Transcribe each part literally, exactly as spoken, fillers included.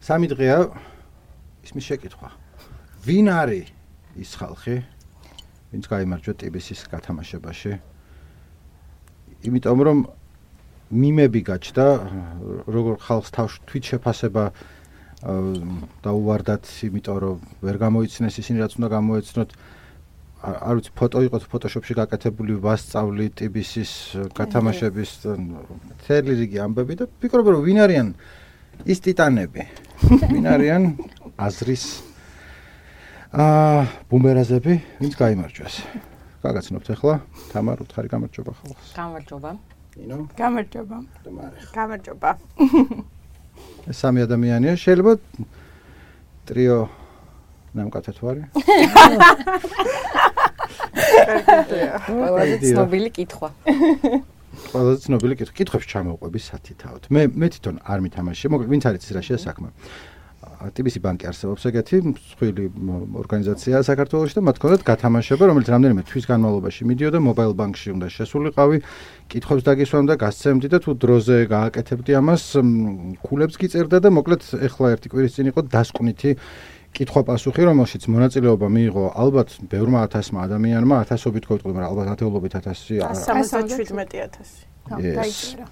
სამი დღეა ისმის შეკითხვა. ვინ არის ის ხალხი, ვინც გაიმარჯვა ტიბისის გათამაშებაში? იმიტომ რომ მიმები გაჩნდა, როგორ ხალხს თავში თვით შეფასება დაუვარდათ, იმიტომ რომ ვერ გამოიცნეს ისინი, რაც უნდა გამოეცნოთ. არ ვიცი, ფოტო იყო ფოტოშოპში გაკეთებული ვასწავლი ტიბისის გათამაშების მთელი რიგი ამბები და ვფიქრობ, რომ ვინ არიან ის ტიტანები? ვინ არიან აზრის აა ბუმერაზები, ვინც გაიმარჯვეს? გაგაცნობთ ახლა, თამარ, უთხარი გამარჯობა ხალხს. გამარჯობა. ნინო? გამარჯობა. გამარჯობა. ეს სამი ადამიანია, შეიძლება ტრიო ნამკაცად ვარი? ყველაზე ცნობილი კითხვა. ყველაზე ცნობილი კითხვა. კითხვებს ჩამოვყვები სათითაოდ. მე მე თვითონ არ მითამაშე, მოკლედ ვინც არის ის რა შეასაქმე. ტიბისი ბანკი არსებობს ეგეთი მსხვილი ორგანიზაცია საქართველოში და მათ ჰქონდათ გათამაშება, რომელიც რამდენიმე თვის განმავლობაში მიდიოდა მობაილ ბანკში უნდა შესულიყავი, კითხვებს დაგისვამდა, გასცემდი და თუ დროზე გააკეთებდი ამას, ქულებს გიწერდა და მოკლედ ეხლა ერთი კვირის წინ იყო დასკვნითი კითხვა-პასუხი, რომელშიც მონაწილეობა მიიღო ალბათ ბევრმა ათასმა ადამიანმა, ათასობით გვეტყვი, მაგრამ ალბათ ათეულობით ათასი. სამოცდაშვიდმეტი ათასი. დაიწერა.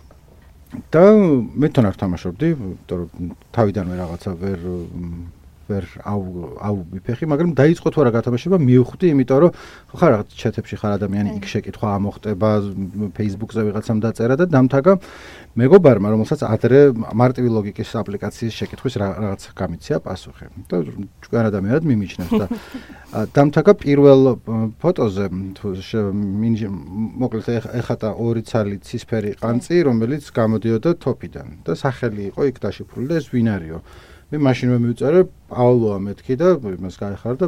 და მე თან არ თამაშობდი, იმიტომ რომ თავიდანვე რაღაცა ვერ ვერ აუ აუ ვიფეხი, მაგრამ დაიწყო თუ არა გათამაშება, მივხვდი, იმიტომ რომ ხარ რაღაც ჩეთებში ხარ ადამიანი, იქ შეკითხვა ამოხტება, Facebook-ზე ვიღაცამ დაწერა და დამთაგა მეგობარმა, რომელსაც ადრე მარტივი ლოგიკის აპლიკაციის შეკითხვის რაღაც გამიცია პასუხი. და ჭკვიან ადამიანად მიმიჩნევს და დამთაგა პირველ ფოტოზე თუ მოკლედ ეხატა ორი ცალი ცისფერი ყანწი, რომელიც გამოდიოდა თოფიდან და სახელი იყო იქ დაშიფრული და ეს ვინ არისო? მე მაშინვე მივწერე პაოლოა მეთქი და იმას გაეხარა და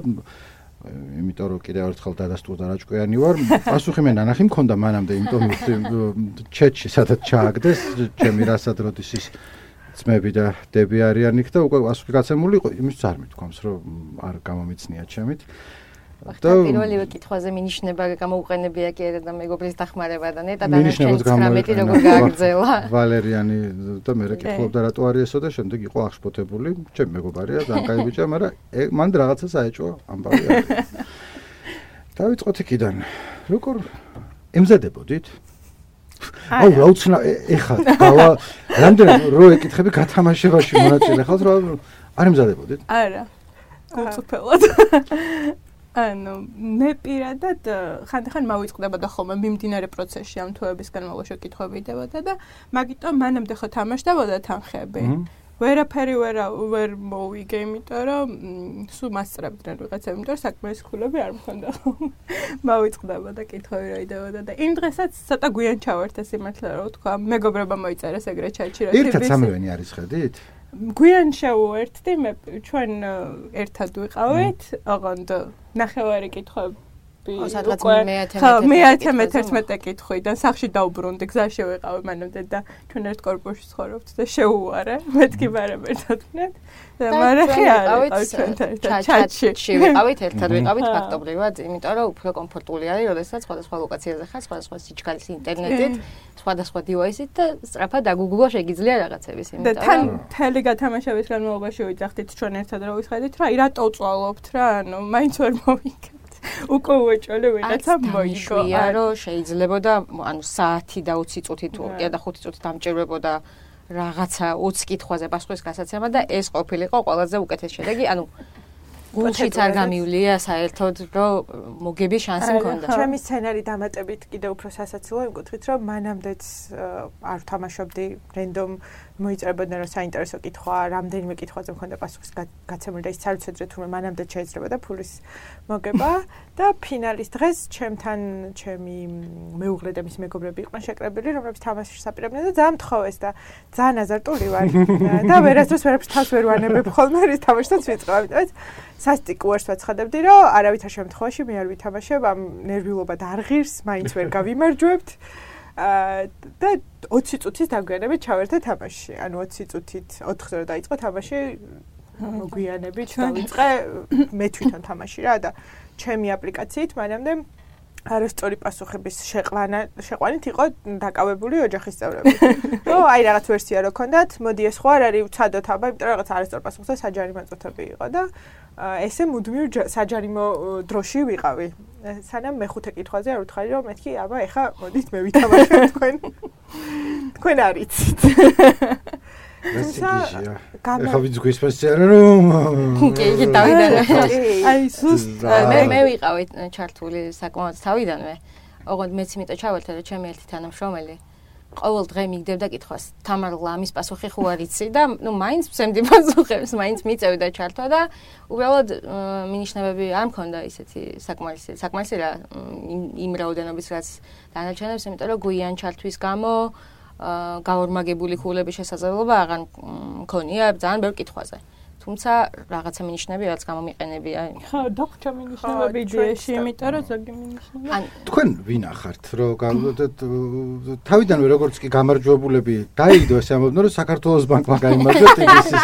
იმიტომ რომ კიდევ ერთხელ დადასტურდა რა ჭკვიანი ვარ, პასუხი მე ნანახი მქონდა მანამდე, იმიტომ მივხვდი ჩეთში სადაც ჩააგდეს, ჩემი რასადროდისის ძმები და დები არიან იქ და უკვე პასუხი გაცემული იყო, იმის არ მithქვამს, რომ არ გამომიცნია ჩემით. და პირველივე კითხვაზე მინიშნება გამოუყენებია კი არა და მეგობრის დახმარება და ნეტა დანარჩენ ცხრამეტი როგორ გააგრძელა. ვალერიანი და მე კითხულობდა რატო არის ესო და შემდეგ იყო აღშფოთებული, ჩემი მეგობარია, ძალიან კაი ბიჭია, მაგრამ მან რაღაცა საეჭვო ამბავი არის. დავიწყოთ იქიდან. როგორ ემზადებოდით? აუ რა უცნა ეხლა გავა რამდენი რო ეკითხები გათამაშებაში მონაწილე ხალხს რა არ ემზადებოდით? არა. გულწრფელად. ანუ მე პირადად ხანდახან მავიწყდებოდა ხოლმე მიმდინარე პროცესში ამ თვეების განმავლობაში კითხვები იდებოდა და მაგიტომ მანამდე ხო თამაშდებოდა თანხები. ვერაფერი ვერ ვერ მოვიგე, იმიტომ რომ სულ მასწრებდნენ ვიღაცები, იმიტომ რომ საქმეის ქულები არ მქონდა. მავიწყდებოდა კითხვები რა იდებოდა და იმ დღესაც ცოტა გვიან ჩავართ ეს იმართლა რა ვთქვა, მეგობრებმა მოიწერეს ეგრე ჩატში რა ერთად სამივენი არის ხედით? გვიან შევუერთდი, მე ჩვენ ერთად ვიყავით, ოღონდ ნახევარი კითხვები მეათე მეთერთმეტე კითხვიდან სახში დავბრუნდი, გზაში ვიყავი მანამდე და ჩვენ ერთ კორპუსში ცხოვრობთ და შეუვარე, მეთქი ბარემ ერთად ვქნათ და მარახი არის ჩვენთან ჩატში ვიყავით, ერთად ვიყავით ფაქტობრივად, იმიტომ რომ უფრო კომფორტული არის, როდესაც სხვადასხვა ლოკაციაზე ხარ, სხვადასხვა სიჩქარის ინტერნეტით, სხვადასხვა დივაისით და სწრაფად დაგუგლო შეგიძლია რაღაცების, იმიტომ რომ და თან თელი გათამაშების განმავლობაში ვიძახდით ჩვენ ერთად რა ვისხედით რა, რატო წვალობთ რა, ანუ მაინც ვერ მოვიგეთ. უკვე უეჭოლე ვინაცა მოიგო. არა, შეიძლება და ანუ საათი და ოცი წუთი თუ კი და ხუთი წუთი დამჭირვებოდა რაღაცა ოცი კითხვაზე პასუხის გასაცემა და ეს ყოფილიყო ყველაზე უკეთესი შედეგი. ანუ გულშიც არ გამივლია საერთოდ რომ მოგების შანსი მქონდა. ჩემი სცენარი დამატებით კიდე უფრო სასაცილოა იმ კუთხით, რომ მანამდეც არ თამაშობდი რენდომ მოიწერებოდნენ რომ საინტერესო კითხვა, რამდენიმე კითხვაზე მქონდა პასუხის გაცემული და ის არ ვიცოდრე თუმცა მანამდე შეიძლებოდა ფულის მოგება და ფინალის დღეს ჩემთან ჩემი მეუღლე და მისი მეგობრები იყვნენ შეკრებილი, რომლებიც თამაშს აპირებდნენ და ძალიან მთხოვეს და ძალიან აზარტული ვარ და ვერასდროს ვერაფერს თავს ვერ ვანებებ ხოლმე რის თამაშსაც ვიწყებ, ამიტომაც სასტიკ უარს ვაცხადებდი, რომ არავითარ შემთხვევაში მე არ ვითამაშებ, ამ ნერვიულობა და არ ღირს, მაინც ვერ გავიმარჯვებთ. და ოცი წუთის დაგვიანებით ჩავერთე თამაში. ანუ ოცი წუთით ოთხზე რო დაიწყო თამაში, მოგვიანებით დავიწყე მე თვითონ თამაში რა და ჩემი აპლიკაციით მანამდე არასწორი პასუხების შეყვანა შეყვანით იყო დაკავებული ოჯახის წევრები. ო, აი რაღაც ვერსია რო ქონდათ, მოდი ეს ხო არ არის უცადოთ აბა, იმიტომ რომ რაღაც არასწორ პასუხზე საჯარიმო წუთები იყო და ესე მუდმივ საჯარიმო დროში ვიყავი. სანამ მეხუთე კითხვაზე არ ვთხარი რომ მეთქი, აბა ეხა მოდით მე ვითამაშო თქვენ. თქვენ არიცით. ეხა ვიძგვის პასიარა რომ კი, კი, თავიდან. აი, სუსტ. მე მე ვიყავი ჩართული საკმაოდ თავიდანვე. ოღონდ მეც იმიტომ ჩავალთ, რომ ჩემი ერთი თანამშრომელი ყოველ დღე მიგდებდა კითხვას, თამარ ლამის პასუხი ხო არ იცი და ნუ მაინც მსემდი პასუხებს, მაინც მიწევდა ჩართვა და უბრალოდ მინიშნებები არ მქონდა ისეთი საკმარისი, საკმარისი რა იმ რაოდენობის რაც დანარჩენებს, იმიტომ რომ გვიან ჩართვის გამო გაორმაგებული ხულების შესაძლებლობა აღარ მქონია ძალიან ბევრ კითხვაზე. თუმცა რაღაცა მინიშნები რაც გამომიყენებია. ხო, დაგვჭა მინიშნებები იდეაში, იმიტომ რომ ზოგი მინიშნები. თქვენ ვინ ახართ, რომ თავიდანვე როგორც კი გამარჯვებულები დაიგდო ეს ამბობდნენ, რომ საქართველოს ბანკმა გაიმარჯვა ტიგისის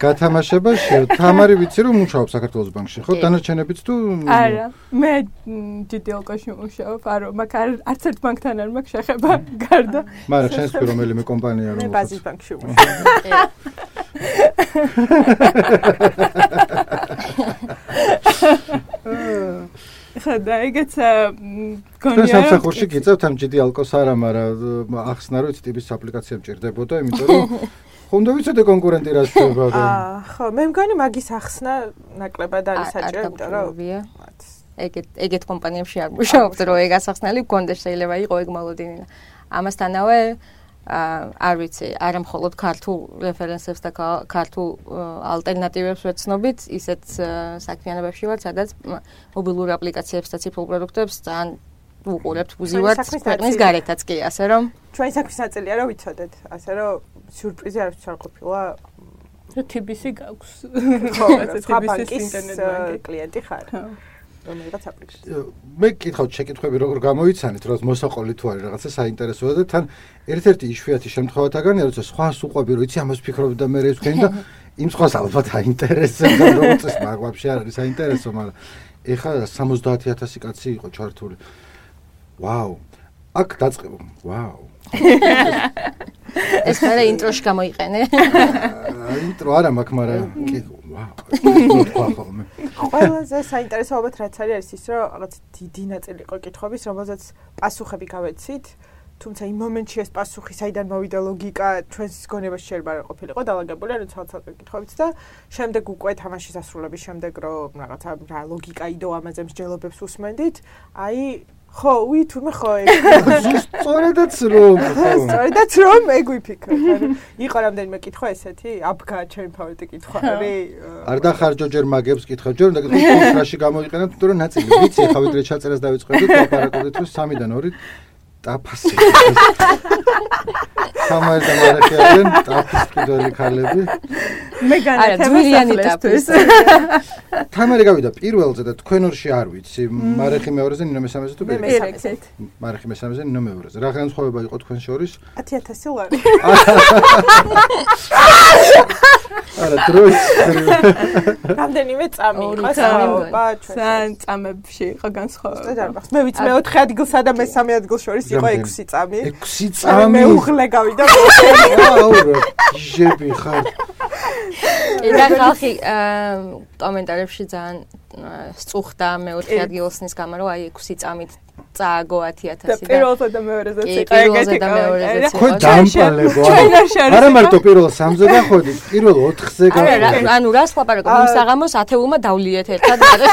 გათამაშებაში. თამარი ვიცი რომ მუშაობ საქართველოს ბანკში, ხო? დანარჩენებიც თუ არა, მე ჯიტილკოში მუშაობ, არა, მაგრამ არც ერთ ბანკთან არ მაქვს შეხება გარდა. მაგრამ შენს თუ რომელიმე კომპანია რომ მე ბაზის ბანკში მუშაობ. ხა და ეგეცა გონია რომ სამსახურში გიწევთ ამ ჯი დი ალკოს არა, მაგრამ ახსნა რომ ტიპის აპლიკაცია მჭირდებოდა, იმიტომ რომ ხომ დავიცოდე კონკურენტი რა შეიძლება და აა ხო, მე მგონი მაგის ახსნა ნაკლებად არის საჭირო, იმიტომ რომ ეგეთ ეგეთ კომპანიებში არ მუშაობთ, რომ ეგ ასახსნელი გქონდეს, შეიძლება იყოს ეგ მოლოდინი. ამასთანავე არ ვიცი, არა მხოლოდ ქართულ რეფერენსებს და ქართულ ალტერნატივებს ვეცნობით, ისეთ საქმიანობებში ვარ, სადაც მობილურ აპლიკაციებს და ციფრულ პროდუქტებს ძალიან ვუყურებთ, ვუზივართ ქვეყნის გარეთაც კი, ასე რომ ჩვენი საქმის ნაწილია, რომ ვიცოდეთ, ასე რომ სიურპრიზი არც არ ყოფილა. თი ბი სი გაქვს. ხო, თი ბი სის ინტერნეტ ბანკი კლიენტი ხარ. რომელიღაც აპლიკაცია. მე გითხავთ შეკითხვები როგორ გამოიცანით, რომ მოსაყოლი თუ არის რაღაცა საინტერესოა და თან ერთ-ერთი იშვიათი შემთხვევათაგანია, როცა სხვას უყვები, რომ იცი ამას ფიქრობ და მე ეს ვქენი და იმ სხვას ალბათ აინტერესებს და როგორც ეს მაგ ვაფშე არ არის საინტერესო, მაგრამ ეხლა სამოცდაათი ათასი კაცი იყო ჩართული. ვაუ. აქ დაწყება. ვაუ. ეს ხარა ინტროში გამოიყენე. ინტრო არა მაქვს, მაგრამ კი ვაუ. ყველაზე საინტერესო ალბათ რაც არის არის ის, რომ რაღაც დიდი ნაწილი იყო კითხვების, რომელზეც პასუხები გავეცით, თუმცა იმ მომენტში ეს პასუხი საიდან მოვიდა ლოგიკა ჩვენს გონებაში შეიძლება არ ყოფილიყო დალაგებული, ანუ ცალ-ცალკე კითხვებით და შემდეგ უკვე თამაშის ასრულების შემდეგ რომ რაღაცა რა ლოგიკა იდო ამაზე მსჯელობებს უსმენდით, აი ხო, უი თურმე ხო ეგ. სწორედაც რომ სწორედაც რომ ეგ ვიფიქრე. ანუ იყო რამდენიმე კითხვა ესეთი, აბგა ჩემი ფავორიტი კითხვა არის. არ დახარჯო ჯერ მაგებს კითხავ, ჯერ უნდა კითხო რაში გამოიყენებთ, იმიტომ რომ ნაწილი ვიცი, ხა ვიდრე ჩაწერას დავიწყებდით, ლაპარაკობდით, რომ სამიდან ორი ტაფასი. თამარი და მარეხი არიან ტაფის კიდოლი ქალები. მე განათებას თამარი გავიდა პირველზე და თქვენ ორში არ ვიცი, მარეხი მეორეზე, ნინო მესამეზე თუ პირველზე. მარეხი მესამეზე, ნინო მეორეზე. რა განსხვავება იყო თქვენ შორის? ათი ათასი ლარი. არა, დროის. რამდენიმე წამი იყო საუბა ჩვენ. ძალიან წამებში იყო განსხვავება. მე ვიცი მეოთხე ადგილსა და მესამე ადგილ შორის იყო ექვსი წამი. ექვსი წამი. მე უღლე გავიდა. აუ, ჟები ხარ. და ხალხი კომენტარებში ძალიან სწუხდა მეოთხე ადგილოსნის გამო, რომ აი ექვსი წამით წააგო ათი ათასი და პირველზე და მეორეზეც იყო ეგეთი გამეორეზეც იყო. ხო დამპალებო. არა მარტო პირველ სამზე გაходით, პირველ ოთხზე გაходით. ანუ რას ლაპარაკობ, იმ საღამოს ათეულმა დავლიეთ ერთად არა.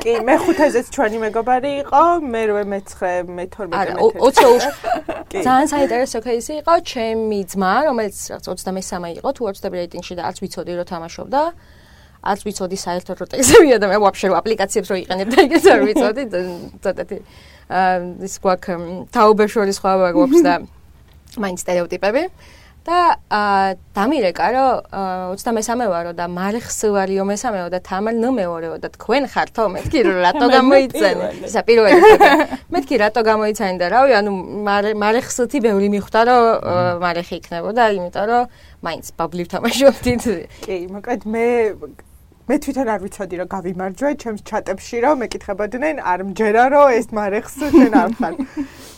კი, მე ხუთეზეც ჩვენი მეგობარი იყო, მერვე მეცხრე, მეთორმეტე მეთერთმეტე. ოცდაოთხი ძალიან საინტერესო кейსი იყო, ჩემი ძმა, რომელიც რაღაც ოცდამესამე იყო, თუ ოცდამე რეიტინგში და არც ვიცოდი რომ თამაშობდა. არც ვიცოდი საერთოდ რო ტექსტებია და მე ვაფშე რო აპლიკაციებს რო იყენებ და ეგეც არ ვიცოდი ცოტათი ის გვაქვს თაობაშორის ხვავა გვაქვს და მაინც სტერეოტიპები და დამირეკა რომ ოცდამესამე ვარო და მარეხს ვარიო მესამეო და თამარ ნომეორეო და თქვენ ხართო მეთქი რომ რატო გამოიცანე ისა პირველი მეთქი რატო გამოიცანე და რავი ანუ მარეხსთი ბევრი მიხვდა რომ მარეხი იქნებოდა იმიტომ რომ მაინც ბაბლივ თამაშობდით კი მოკლედ მე მე თვითონ არ ვიცოდი რომ გავიმარჯვე ჩემს ჩატებში რომ მეკითხებოდნენ არ მჯერა რომ ეს მარეხს შენ არ ხარ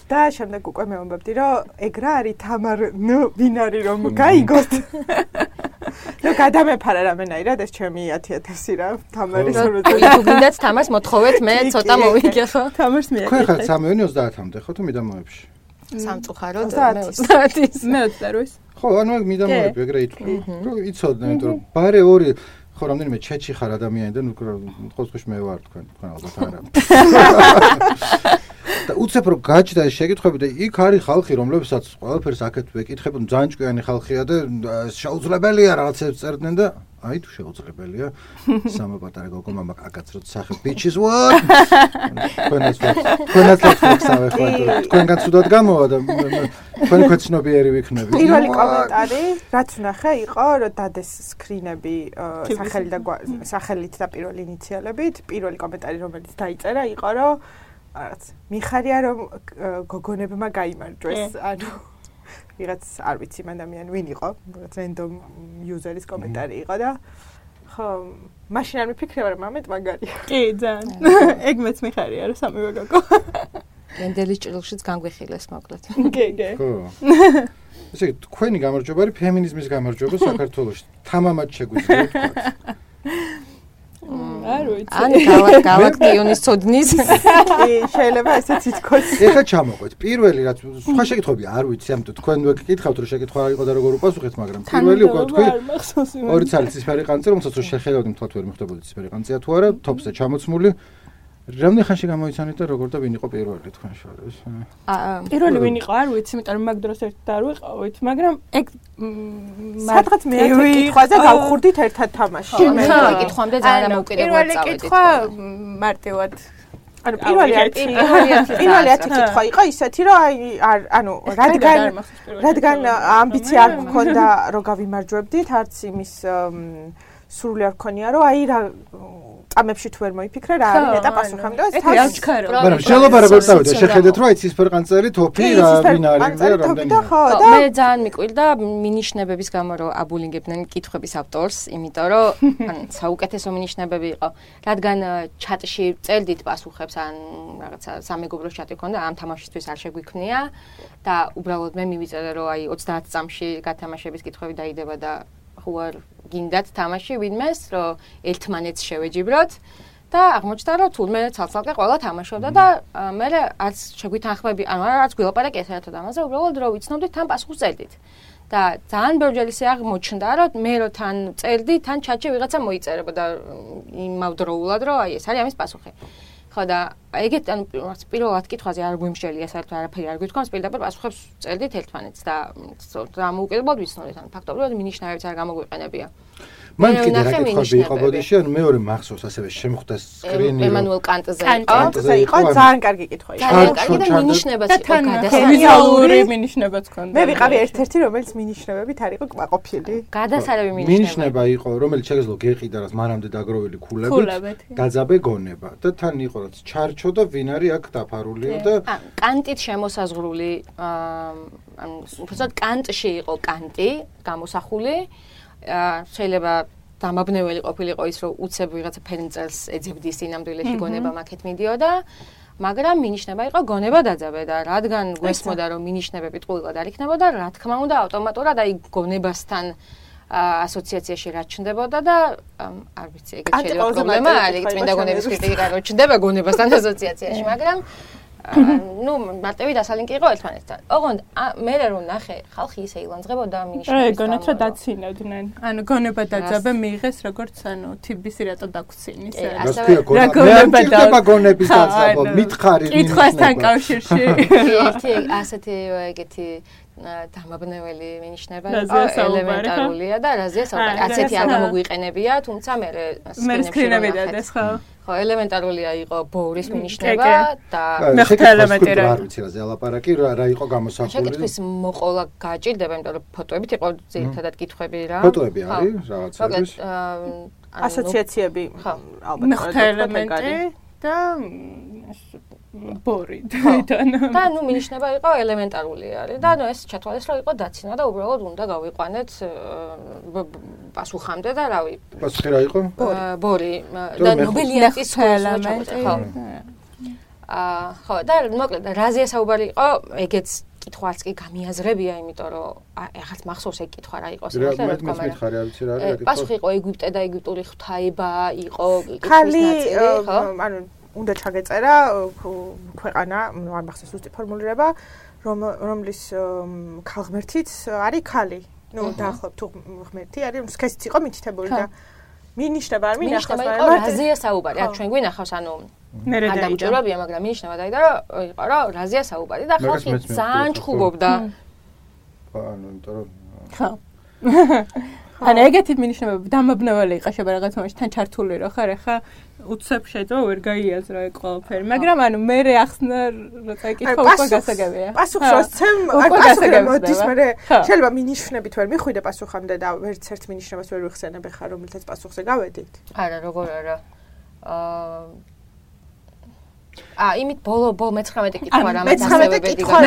და შემდეგ უკვე მეუბნებდი რომ ეგ რა არის თამარ ნუ ვინ არის რომ გაიგოთ ნუ გადამეფარა რამენაირად ეს ჩემი ათი ათასი რა თამარის როზე თუ გინდათ თამარს მოთხოვეთ მე ცოტა მოვიგე ხო თამარს მე თქვენ ხართ სამი ოცდაათამდე ხო თუ მიდამოებში სამწუხაროდ მე ოცდაათის მე ოცდაოთის ხო ანუ მიდამოები ეგრე ითვლი რომ იცოდნენ იმიტომ რომ ბარე ორი ხო რამდენიმე ჩეჩი ხარ ადამიანი და ნუ խոսքში მე ვარ თქვენ თქვენ ალბათ არა და უცებ რომ გაჩნდა ეს შეკითხვები და იქ არის ხალხი რომლებსაც ყველაფერს აქეთ ვეკითხებოდნენ ძალიან ჭკვიანი ხალხია და შეუძლებელია რაღაცებს წერდნენ და აი თუ შეუძლებელია სამა პატარა გოგო მამა აკაცროთ სახე ბიჩის what თქვენაც თქვენაც ლექსავე ხო თქვენგან ცუდად გამოვა და თქვენ ქვეცნობიერი ვიქნები პირველი კომენტარი რაც ვნახე იყო რომ დადეს სკრინები სახელი და სახელით და პირველი ინიციალებით პირველი კომენტარი რომელიც დაიწერა იყო რომ რაღაც მიხარია რომ გოგონებმა გაიმარჯვეს ანუ ვიღაც არ ვიცი ადამიანი ვინ იყო რაღაც random user-ის კომენტარი იყო და ხო მაშინ არ მიფიქრე რომ ამეთ მაგარია კი ძალიან ეგ მეც მიხარია რომ სამივე გოგო ენდელის ჭრილშიც განგვიხილეს მოკლედ კი კი ხო ესე იგი თქვენი გამარჯვება არის ფემინიზმის გამარჯვება საქართველოში თამამად შეგვიძლია თქვა არ ვიცი. ან გალაქტიონის ცოდნის. კი, შეიძლება ესეც ითქოს. ეხლა ჩამოყვეთ. პირველი რაც სხვა შეკითხვები არ ვიცი, ამიტომ თქვენ ვეკითხავთ რომ შეკითხვა იყო და როგორ უპასუხეთ, მაგრამ პირველი უკვე თქვი ორი ცალი ცისფერი ყანწი, რომელსაც რო შეხედავდი მთლად ვერ მიხვდებოდი ცისფერი ყანწია თუ არა, თოპზე ჩამოცმული. რამდენი ხანში გამოიცანეთ და როგორ და ვინ იყო პირველი თქვენ შორის? აა პირველი ვინ იყო არ ვიცი, იმიტომ რომ მაგ დროს ერთად არ ვიყავით, მაგრამ ეგ სადღაც მე კითხვაზე გავხურდით ერთად თამაში. მე კითხვამდე ძალიან დამოუკიდებლად წავედით. პირველი კითხვა მარტივად ანუ პირველი პირველი ათი კითხვა იყო ისეთი რომ აი ანუ რადგან რადგან ამბიცია არ გქონდა რომ გავიმარჯვებდით, არც იმის სრული არ გქონია რომ აი რა წამებში თუ ვერ მოიფიქრე რა არის და პასუხი და ეს აჩქარო. მაგრამ შეიძლება როგორ წავიდა შეხედეთ რომ აი ცისფერყანწელი თოფი რა ვინ არის და რამდენი მე ძალიან მიკვირდა მინიშნებების გამო რომ აბულინგებდნენ კითხვების ავტორს იმიტომ რომ ან საუკეთესო მინიშნებები იყო რადგან ჩატში წერდით პასუხებს ან რაღაცა სამეგობრო ჩატი ქონდა ამ თამაშისთვის არ შეგვიქმნია და უბრალოდ მე მივიწერე რომ აი ოცდაათ წამში გათამაშების კითხვები დაიდება და ხوار გინდათ თამაში ვინმეს რომ ერთმანეთს შევეჯიბროთ და აღმოჩნდა რომ თურმე ცალ-ცალკე ყველა თამაშობდა და მე არც შეგვითანხმები ანუ არც გვილაპარაკეთ ერთად ამაზე უბრალოდ რომ ვიცნობდით თან პასუხს წერდით და ძალიან ბევრი ისე აღმოჩნდა რომ მე რო თან წერდი თან ჩატში ვიღაცა მოიწერებოდა იმავდროულად რომ აი ეს არის ამის პასუხი ხო და ეგეთ ანუ პირველად კითხვაზე არ გვიმშელია საერთოდ არაფერი არ გვითქვამს პირდაპირ პასუხებს წერდით ერთმანეთს და დამოუკიდებლად ვიცნობდით ანუ ფაქტობრივად მინიშნებებიც არ გამოგვიყენებია მან კიდე რა კითხვები იყო ბოდიში ანუ მეორე მახსოვს ასევე შემხვდა სკრინი ემანუელ კანტზე იყო კანტზე იყო ძალიან კარგი კითხვა იყო ძალიან კარგი და მინიშნებაც იყო გადასარევი ვიზუალური მინიშნებაც ქონდა მე ვიყავი ერთ-ერთი რომელიც მინიშნებებით არ იყო კმაყოფილი გადასარევი მინიშნება იყო რომელიც შეგეძლო გეყიდა რაც მანამდე დაგროვილი ქულებით დაძაბე გონება და თან იყო რაც ჩარჩო და ვინ არის აქ დაფარულიო და კანტით შემოსაზღვრული ანუ უბრალოდ კანტში იყო კანტი გამოსახული შეიძლება დამაბნეველი ყოფილიყო ის რომ უცებ ვიღაცა ფერმწერს ეძებდის ინამდვილეში გონება მაქეთ მიდიოდა მაგრამ მინიშნება იყო გონება დაძაბე და რადგან გვესმოდა რომ მინიშნებები ტყუილად არ იქნებოდა რა თქმა უნდა ავტომატურად აი გონებასთან ასოციაციაში რა ჩნდებოდა და არ ვიცი ეგეც შეიძლება პრობლემა არის წმინდა გონების კრიტიკა რო ჩნდება გონებასთან ასოციაციაში მაგრამ ну მარტივი დასალინკი იყო ერთმანეთთან. ოღონდ მე რომ ნახე ხალხი ისე ილანძღებოდა მინიშნებს. რა გონებს რა დაცინავდნენ. ანუ გონება დაძაბე მიიღეს როგორც ანუ თიბისი რატო დაგცინის. რა გონება და გონების დაძაბო მითხარი კითხვასთან კავშირში. ერთი ასეთი ეგეთი დამაბნეველი მინიშნება ელემენტარულია და რაზეა საუბარი. ასეთი არ გამოგვიყენებია, თუმცა მე სკრინები დადეს ხო? ხო, ელემენტარულია იყო ბორის მინიშნება და მეხუთე ელემენტი რა. არ ვიცი რა ზელაპარაკი რა იყო გამოსახული. შეკითხვის მოყოლა გაჭირდება, იმიტომ რომ ფოტოებით იყო ძირითადად კითხვები რა. ფოტოები არის რაღაცების. ასოციაციები ხო, ალბათ მეხუთე ელემენტი და ბორი თვითონ. და ნუ მინიშნება იყო ელემენტარული არის და ნუ ეს ჩათვალეს რომ იყო დაცინა და უბრალოდ უნდა გავიყვანეთ პასუხამდე და რავი. პასუხი რა იყო? ბორი და ნობელიანტის ელემენტი ხო. აა ხო და მოკლედ რაზეა საუბარი იყო ეგეც კითხვაც კი გამიაზრებია, იმიტომ რომ ეხლა მახსოვს ეგ კითხვა რა იყო სიმართლე რა თქმა უნდა. რა ვიცი რა არის. პასუხი იყო ეგვიპტე და ეგვიპტური ღვთაება იყო ქალი ხო? ანუ უნდა ჩაგეწერა ქვეყანა, არ მახსოვს ზუსტი ფორმულირება, რომ რომლის ქალღმერთიც არის ქალი. ნუ დაახლოებით თუ ღმერთი არის, სქესიც იყო მითითებული და მინიშნება არ მინახავს, მაგრამ რაზეა საუბარი? აქ ჩვენ გვინახავს, ანუ მე რა დაიჯერებია, მაგრამ მინიშნება დაიდა რომ იყო რომ რაზეა საუბარი და ხალხი ძალიან ჩხუბობდა. ხო, ანუ იმიტომ რომ ხო. ანუ ეგეთი მინიშნებები დამაბნეველი იყო შეიძლება რაღაც მომენტში თან ჩართული რო ხარ ახლა უცებ შეიძლება ვერ გაიაზრო ეგ ყველაფერი მაგრამ ანუ მე რე ახსნა როცა ეკითხა უკვე გასაგებია პასუხს როცემ არ პასუხი მოდის მე შეიძლება მინიშნებით ვერ მიხვიდე პასუხამდე და ვერც ერთ მინიშნებას ვერ ვიხსენებ ხარ რომელთაც პასუხზე გავედით არა როგორ არა აა აა იმით ბოლო ბოლო მეცხრამეტე კითხვა რა მეცხრამეტე კითხვა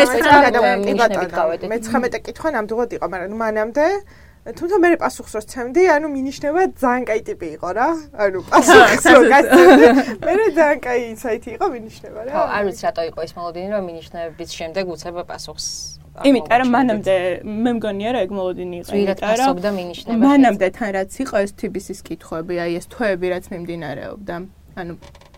მეცხრამეტე კითხვა ნამდვილად იყო მაგრამ მანამდე თუმცა მე პასუხს რო ცემდი, ანუ მინიშნება ძალიან კაი ტიპი იყო რა. ანუ პასუხს რო გაცემდი, მე ძალიან კაი ინსაიტი იყო მინიშნება რა. ხო, არ ვიცი რატო იყო ის მოლოდინი, რომ მინიშნების შემდეგ უცებ პასუხს. იმიტომ რომ მანამდე მე მგონია რომ ეგ მოლოდინი იყო, იმიტომ რომ მანამდე თან რაც იყო ეს თბისის კითხვები, აი ეს თვეები რაც მიმდინარეობდა. ანუ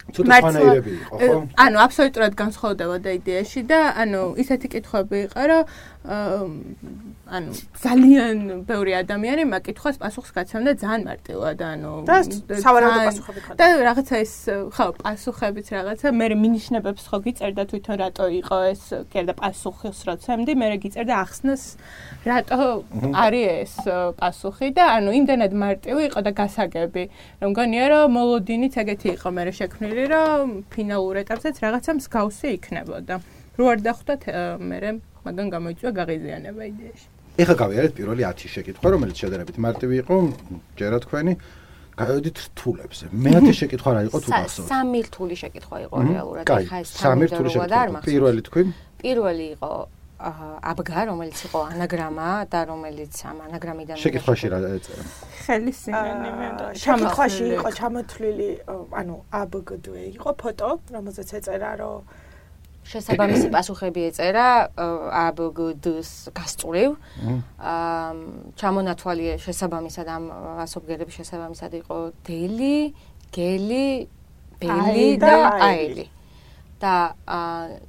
მართლმადიდებლები იყო, ხო? ანუ აბსოლუტურად განსხვავდებოდა იდეაში და ანუ ისეთი კითხვები იყო, რომ ანუ ძალიან ბევრი ადამიანი მაგ კითხვას პასუხს გაცემდა ძალიან მარტივად, ანუ და სავარაუდო პასუხები ხარ. და რაღაცა ის ხო, პასუხებიც რაღაცა, მე მინიშნებებს ხო გიწერდა თვითონ რატო იყო ეს, კიდე პასუხს რო ცემდი, მე გიწერდა ახსნას რატო არის ეს პასუხი და ანუ იმდენად მარტივი იყო და გასაგები, რომ მგონია რომ მოლოდინიც ეგეთი იყო მე შექმნილი, რომ ფინალურ ეტაპზეც რაღაცა მსგავსი იქნებოდა. რო არ დახვდათ მე მაგან გამოიწვია გაღიზიანება იდეაში. ეხლა გავიარეთ პირველი ათი შეკითხვა, რომელიც შედარებით მარტივი იყო, ჯერა თქვენი, გავედით რთულებზე. მეათე შეკითხვა რა იყო თუ გასწორ? სამი რთული შეკითხვა იყო რეალურად, ეხლა ეს სამი რთული შეკითხვა. პირველი თქვი? პირველი იყო აბგა, რომელიც იყო ანაგრამა და რომელიც ამ ანაგრამიდან შეკითხვაში რა ეწერა? ხელის სინონიმი და შეკითხვაში იყო ჩამოთვლილი, ანუ აბგდ იყო ფოტო, რომელზეც ეწერა რომ შესაბამისი პასუხები ეწერა აბგდ-ს გასწვრივ. აა ჩამონათვალი შესაბამისად ამ ასობგერების შესაბამისად იყო დელი, გელი, ბელი და აელი. და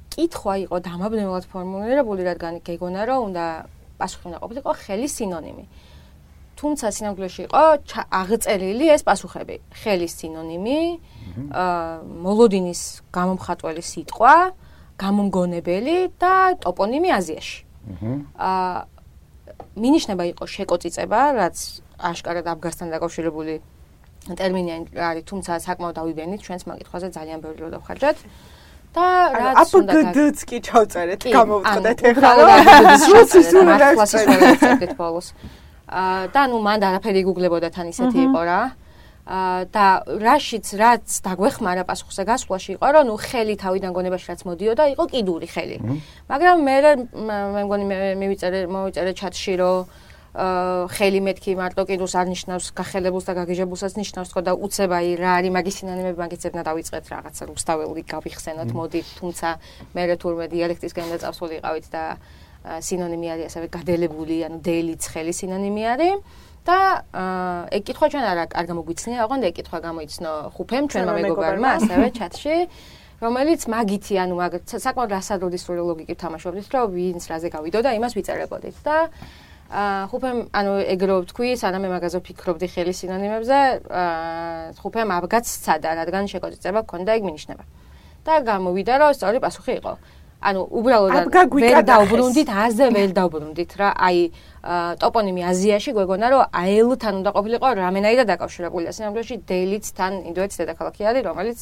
კითხვა იყო დამაბნევად ფორმულირებული, რადგან გეგონა რომ უნდა პასუხი უნდა ყოფილიყო ხელის სინონიმი. თუმცა სინამდვილეში იყო აღწერილი ეს პასუხები. ხელის სინონიმი, აა მოლოდინის გამომხატველი სიტყვა, გამომგონებელი და ტოპონიმი აზიაში. აა მინიშნება იყო შეკოწიწება, რაც აშკარად აბგასთან დაკავშირებული ტერმინი არის, თუმცა საკმაოდ დავიბენით ჩვენს მაგითხვაზე ძალიან ბევრი რო დავხარჯათ. და რაც უნდა აბგდ-ს კი ჩავწერეთ, გამოვწოდეთ ეხლა. აა და ნუ მან არაფერი გუგლებოდა თან ისეთი იყო რა. აა და რაშიც რაც დაგვეხმარა პასუხზე გასვლაში იყო რომ ნუ ხელი თავიდან გონებაში რაც მოდიოდა იყო კიდური ხელი. მაგრამ მე მე მგონი მე მივიწერე მოვიწერე ჩატში რომ აა ხელი მეთქი მარტო კიდურს არ ნიშნავს გახელებულს და გაგიჟებულსაც ნიშნავს თქო და უცებ აი რა არის მაგის სინონიმები მაგის ზებნა დავიწყეთ რაღაცა რუსთაველი გავიხსენოთ მოდი თუმცა მე თურმე დიალექტისგან დაწავსული ყავით და სინონიმი არის ასევე გადელებული ანუ დელი ცხელი სინონიმი არის და ეგ კითხვა ჩვენ არ არ გამოგვიცნია, ოღონდ ეგ კითხვა გამოიცნო ხუფემ ჩვენმა მეგობარმა ასევე ჩატში, რომელიც მაგითი, ანუ მაგ საკმაოდ რასადროდის ლოგიკით თამაშობდით, რომ ვინც რაზე გავიდო და იმას ვიწერებოდით და ხუფემ, ანუ ეგ რო ვთქვი, სანამ მე მაგაზე ვფიქრობდი ხელის სინონიმებზე, ხუფემ აბგაც სცადა, რადგან შეკოწიწება გქონდა ეგ მინიშნება. და გამოვიდა, რომ სწორი პასუხი იყო. ანუ უბრალოდ ვერ დავბრუნდით, აზე ვერ დავბრუნდით რა. აი ტოპონიმი აზიაში გვეგონა რომ აელთან უნდა ყოფილიყო რამენაირად დაკავშირებულია. სინამდვილეში დელიც თან ინდოეთის დედაქალაქი არის, რომელიც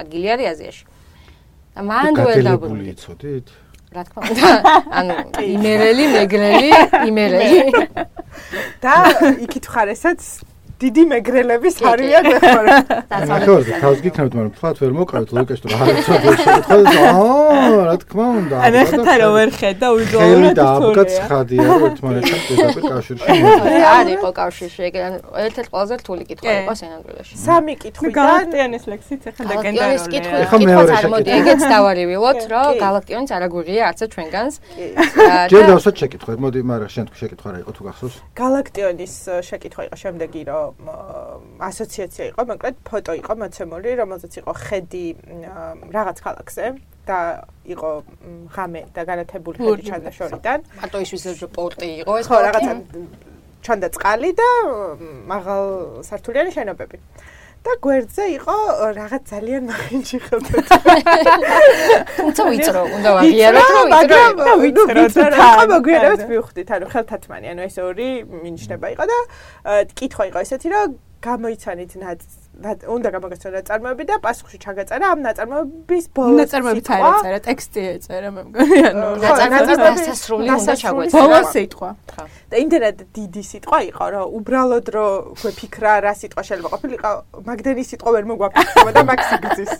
ადგილი არის აზიაში. და მან ვერ დავბრუნდით. იცოდით? რა თქმა უნდა, ანუ იმერელი, მეგრელი, იმერელი. და იქით ხარ ესაც დიდი მეგრელების არიან ეხლა. ნახევარზე თავს გიქნებთ, მაგრამ თქვათ ვერ მოკავით ლოგიკაში თუ რა არის. აა, რა თქმა უნდა. ანუ ხეთა რო ვერ ხედა უზოლოდ. ხელი და აბგაც ხადია რომ ერთმანეთთან პირდაპირ კავშირში. არ იყო კავშირში, ეგ ერთ-ერთი ყველაზე რთული კითხვა იყო სინამდვილეში. სამი კითხვიდან გალაქტიონის ლექსიც ახლა ლეგენდარულია. ეხლა მეორე კითხვა მოდი, ეგეც დავარივილოთ, რომ გალაქტიონის არ აგვიღია არც ჩვენგანს. ჯერ დავსვათ შეკითხვა, მოდი, მაგრამ შენ თუ შეკითხვა რა იყო თუ გახსოვს? გალაქტიონის შეკითხვა იყო შემდეგი, რომ ასოციაცია იყო, მაგრამ ფოტო იყო მოცემული, რომელზეც იყო ხედი რაღაც ქალაქზე და იყო ღამე და განათებული ხედი ჩანდა შორიდან. მარტო ის ვიზეზე პორტი იყო ეს. ხო, რაღაცა ჩანდა წყალი და მაღალ სართულიანი შენობები. და გვერდზე იყო რაღაც ძალიან მაგინჩი ხელთოთ. თუმცა ვიწრო, უნდა ვაღიაროთ, რომ ვიწრო. და ვიწრო, რა მოგვიანებით მივხვდით, ანუ ხელთათმანი, ანუ ეს ორი მინიშნება იყო და კითხვა იყო ესეთი, რომ გამოიცანით უნდა გამოგეცნო ნაწარმოები და პასუხში ჩაგაწერა ამ ნაწარმოების ბოლოს. ნაწარმოებიც არ ეწერა, ტექსტი ეწერა, მე მგონი, ანუ ნაწარმოების დასასრული უნდა ჩაგვეწერა. ბოლოს სიტყვა. და იმდენად დიდი სიტყვა იყო, რომ უბრალოდ რომ გვეფიქრა რა სიტყვა შეიძლება ყოფილიყო, მაგდენი სიტყვა ვერ მოგვაფიქრება და მაგ სიგრძის.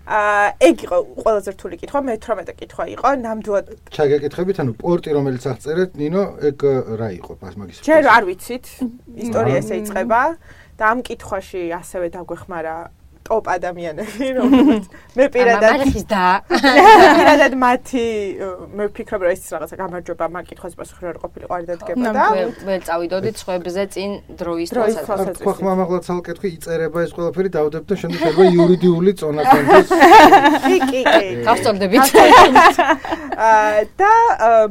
აა ეგ იყო ყველაზე რთული კითხვა, მეთვრამეტე კითხვა იყო, ნამდვილად ჩაგეკითხებით, ანუ პორტი რომელიც აღწერეთ, ნინო, ეგ რა იყო მაგის? ჯერ არ ვიცით, ისტორია ესე იწყება. და ამ კითხვაში ასევე დაგვეხმარა ტოპ ადამიანები, რომელიც მე პირადად მარხის და პირადად მათი მე ვფიქრობ, რომ ეს რაღაცა გამარჯვება მაგ კითხვას პასუხი არ ყოფილიყო არ დადგება და ვერ წავიდოდით სხვებზე წინ დროის თვალსაზრისით. ხო, ხმამაღლა ცალკეთხვი იწერება ეს ყველაფერი დავდებ და შემდეგ შეიძლება იურიდიული წონა კონდეს. კი, კი, კი. გავსწორდებით. აა და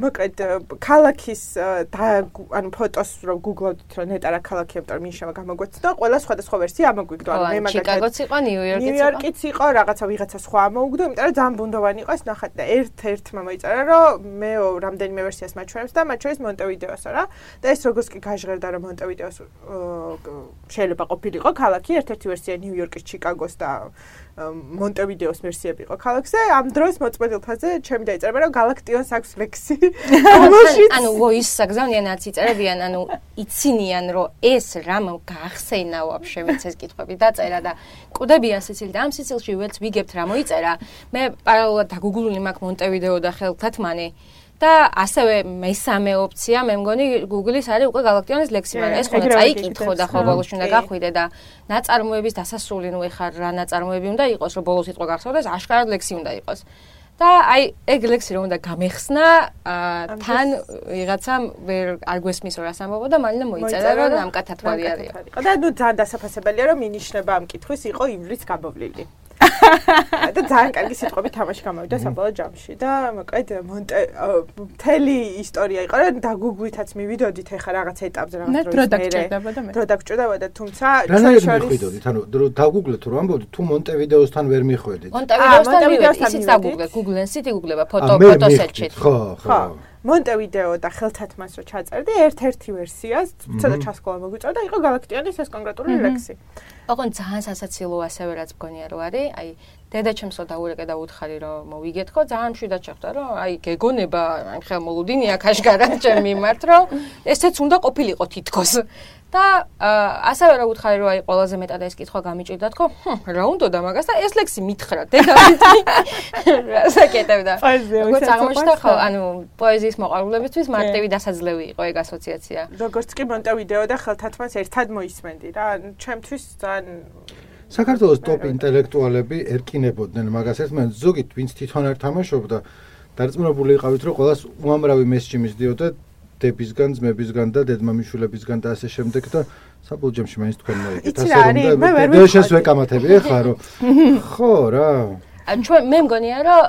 მოკლედ ქალაქის ანუ ფოტოს რო გუგლავთ რომ ნეტარა ქალაქი ამიტომ ნიშნობა გამოგვეცნო, ყველა სხვადასხვა ვერსია ამოგვიგდო. ანუ მე მაგალითად ჩიკაგოც იყო, ნიუ-იორკიც იყო. ნიუ-იორკიც იყო, რაღაცა ვიღაცა სხვა ამოუგდო, იმიტომ რომ ძალიან ბუნდოვანი იყო ეს ნახატი და ერთ-ერთმა მოიწერა, რომ მე რამდენიმე ვერსიას მაჩვენებს და მათ შორის მონტევიდეოსო რა. და ეს როგორც კი გაჟღერდა, რომ მონტევიდეოს შეიძლება ყოფილიყო ქალაქი, ერთ-ერთი ვერსია ნიუ-იორკის, ჩიკაგოს და მონტევიდეოს ვერსიები იყო ქალაქზე. ამ დროს მოწმენდილთაზე ჩემი დაიწერება, რომ გალაქტიონს აქვს ლექსი. ანუ ვოის საგზავნიანაც იწერებიან, ანუ იცინიან, რომ ეს რამ გაახსენა ვაფშე ვინც ეს კითხვები დაწერა და კვდებიან სიცილი და ამ სიცილში ვერც ვიგებთ რა მოიწერა. მე პარალელურად დაგუგლული მაქვს მონტევიდეო და ხელთათმანი და ასევე მესამე ოფცია მე მგონი Google-ის არის უკვე გალაქტიონის ლექსი, მაგრამ ეს ხონა წაიკითხო და ხო ბოლოს უნდა გახვიდე და ნაწარმოების დასასრული ნუ ეხა რა ნაწარმოები უნდა იყოს, რომ ბოლოს სიტყვა გახსოვდეს, აშკარად ლექსი უნდა იყოს. და აი ეგ ლექსი რომ უნდა გამეხსნა, თან ვიღაცამ ვერ არ გვესმის რას ამბობ და მალინე მოიწერა რომ ნამკათა თვალი არის. და ნუ ძალიან დასაფასებელია რომ მინიშნება ამ კითხვის იყო ივლისს გამოვლილი. და ძალიან კარგი სიტყვები თამაში გამოვიდა საბოლოო ჯამში და მოკლედ მთელი ისტორია იყო რომ დაგუგვითაც მივიდოდით ეხა რაღაც ეტაპზე რაღაც დროს მერე დრო დაგჭირდებოდა თუმცა ჩვენ შორის მივიდოდით ანუ დაგუგლეთ რომ ამბობთ თუ მონტევიდეოსთან ვერ მიხვედით მონტევიდეოსთან მივიდეთ ისიც დაგუგლეთ გუგლენსით იგუგლება ფოტო ფოტოსეტში ხო ხო მონტევიდეო და ხელთათმას რო ჩაწერდი ერთ-ერთი ვერსიას ცოტა ჩასკოლა მოგვიწოდა და იყო გალაქტიონის ეს კონკრეტული ლექსი. ოღონდ ძალიან სასაცილო ასევე რაც მგონია რომ არის, აი დედაჩემსო დაურეკე და უთხარი რომ მოვიგეთქო, ძალიან მშვიდად შეხვდა რომ აი გეგონება, აი ხელმოლუდინია ქაშგარად ჩემ მიმართ რომ ესეც უნდა ყოფილიყო თითქოს. და ასევე რა უთხარი რომ აი ყველაზე მეტად ეს კითხვა გამიჭირდა თქო, რა უნდა და მაგას და ეს ლექსი მითხრა დედამიწი. რასაკეთებდა. როგორც აღმოჩნდა ხო, ანუ პოეზიის მოყვარულებისთვის მარტივი დასაძლევი იყო ეგ ასოციაცია. როგორც კი მონტევიდეო და ხელთათმას ერთად მოისმენდი რა, ჩემთვის ძალიან საქართველოს ტოპ ინტელექტუალები ერკინებოდნენ მაგას ერთმანეთს, ზოგით ვინც თვითონ არ თამაშობდა, დარწმუნებული იყავით რომ ყველას უამრავი მესიჯი მისდიოდა დებისგან, ძმებისგან და დედმამიშვილებისგან და ასე შემდეგ და საბოლოო ჯამში მაინც თქვენ მოიგეთ ასე რომ და დედაშენს ვეკამათები ეხლა რომ ხო რა ჩვენ მე მგონია რომ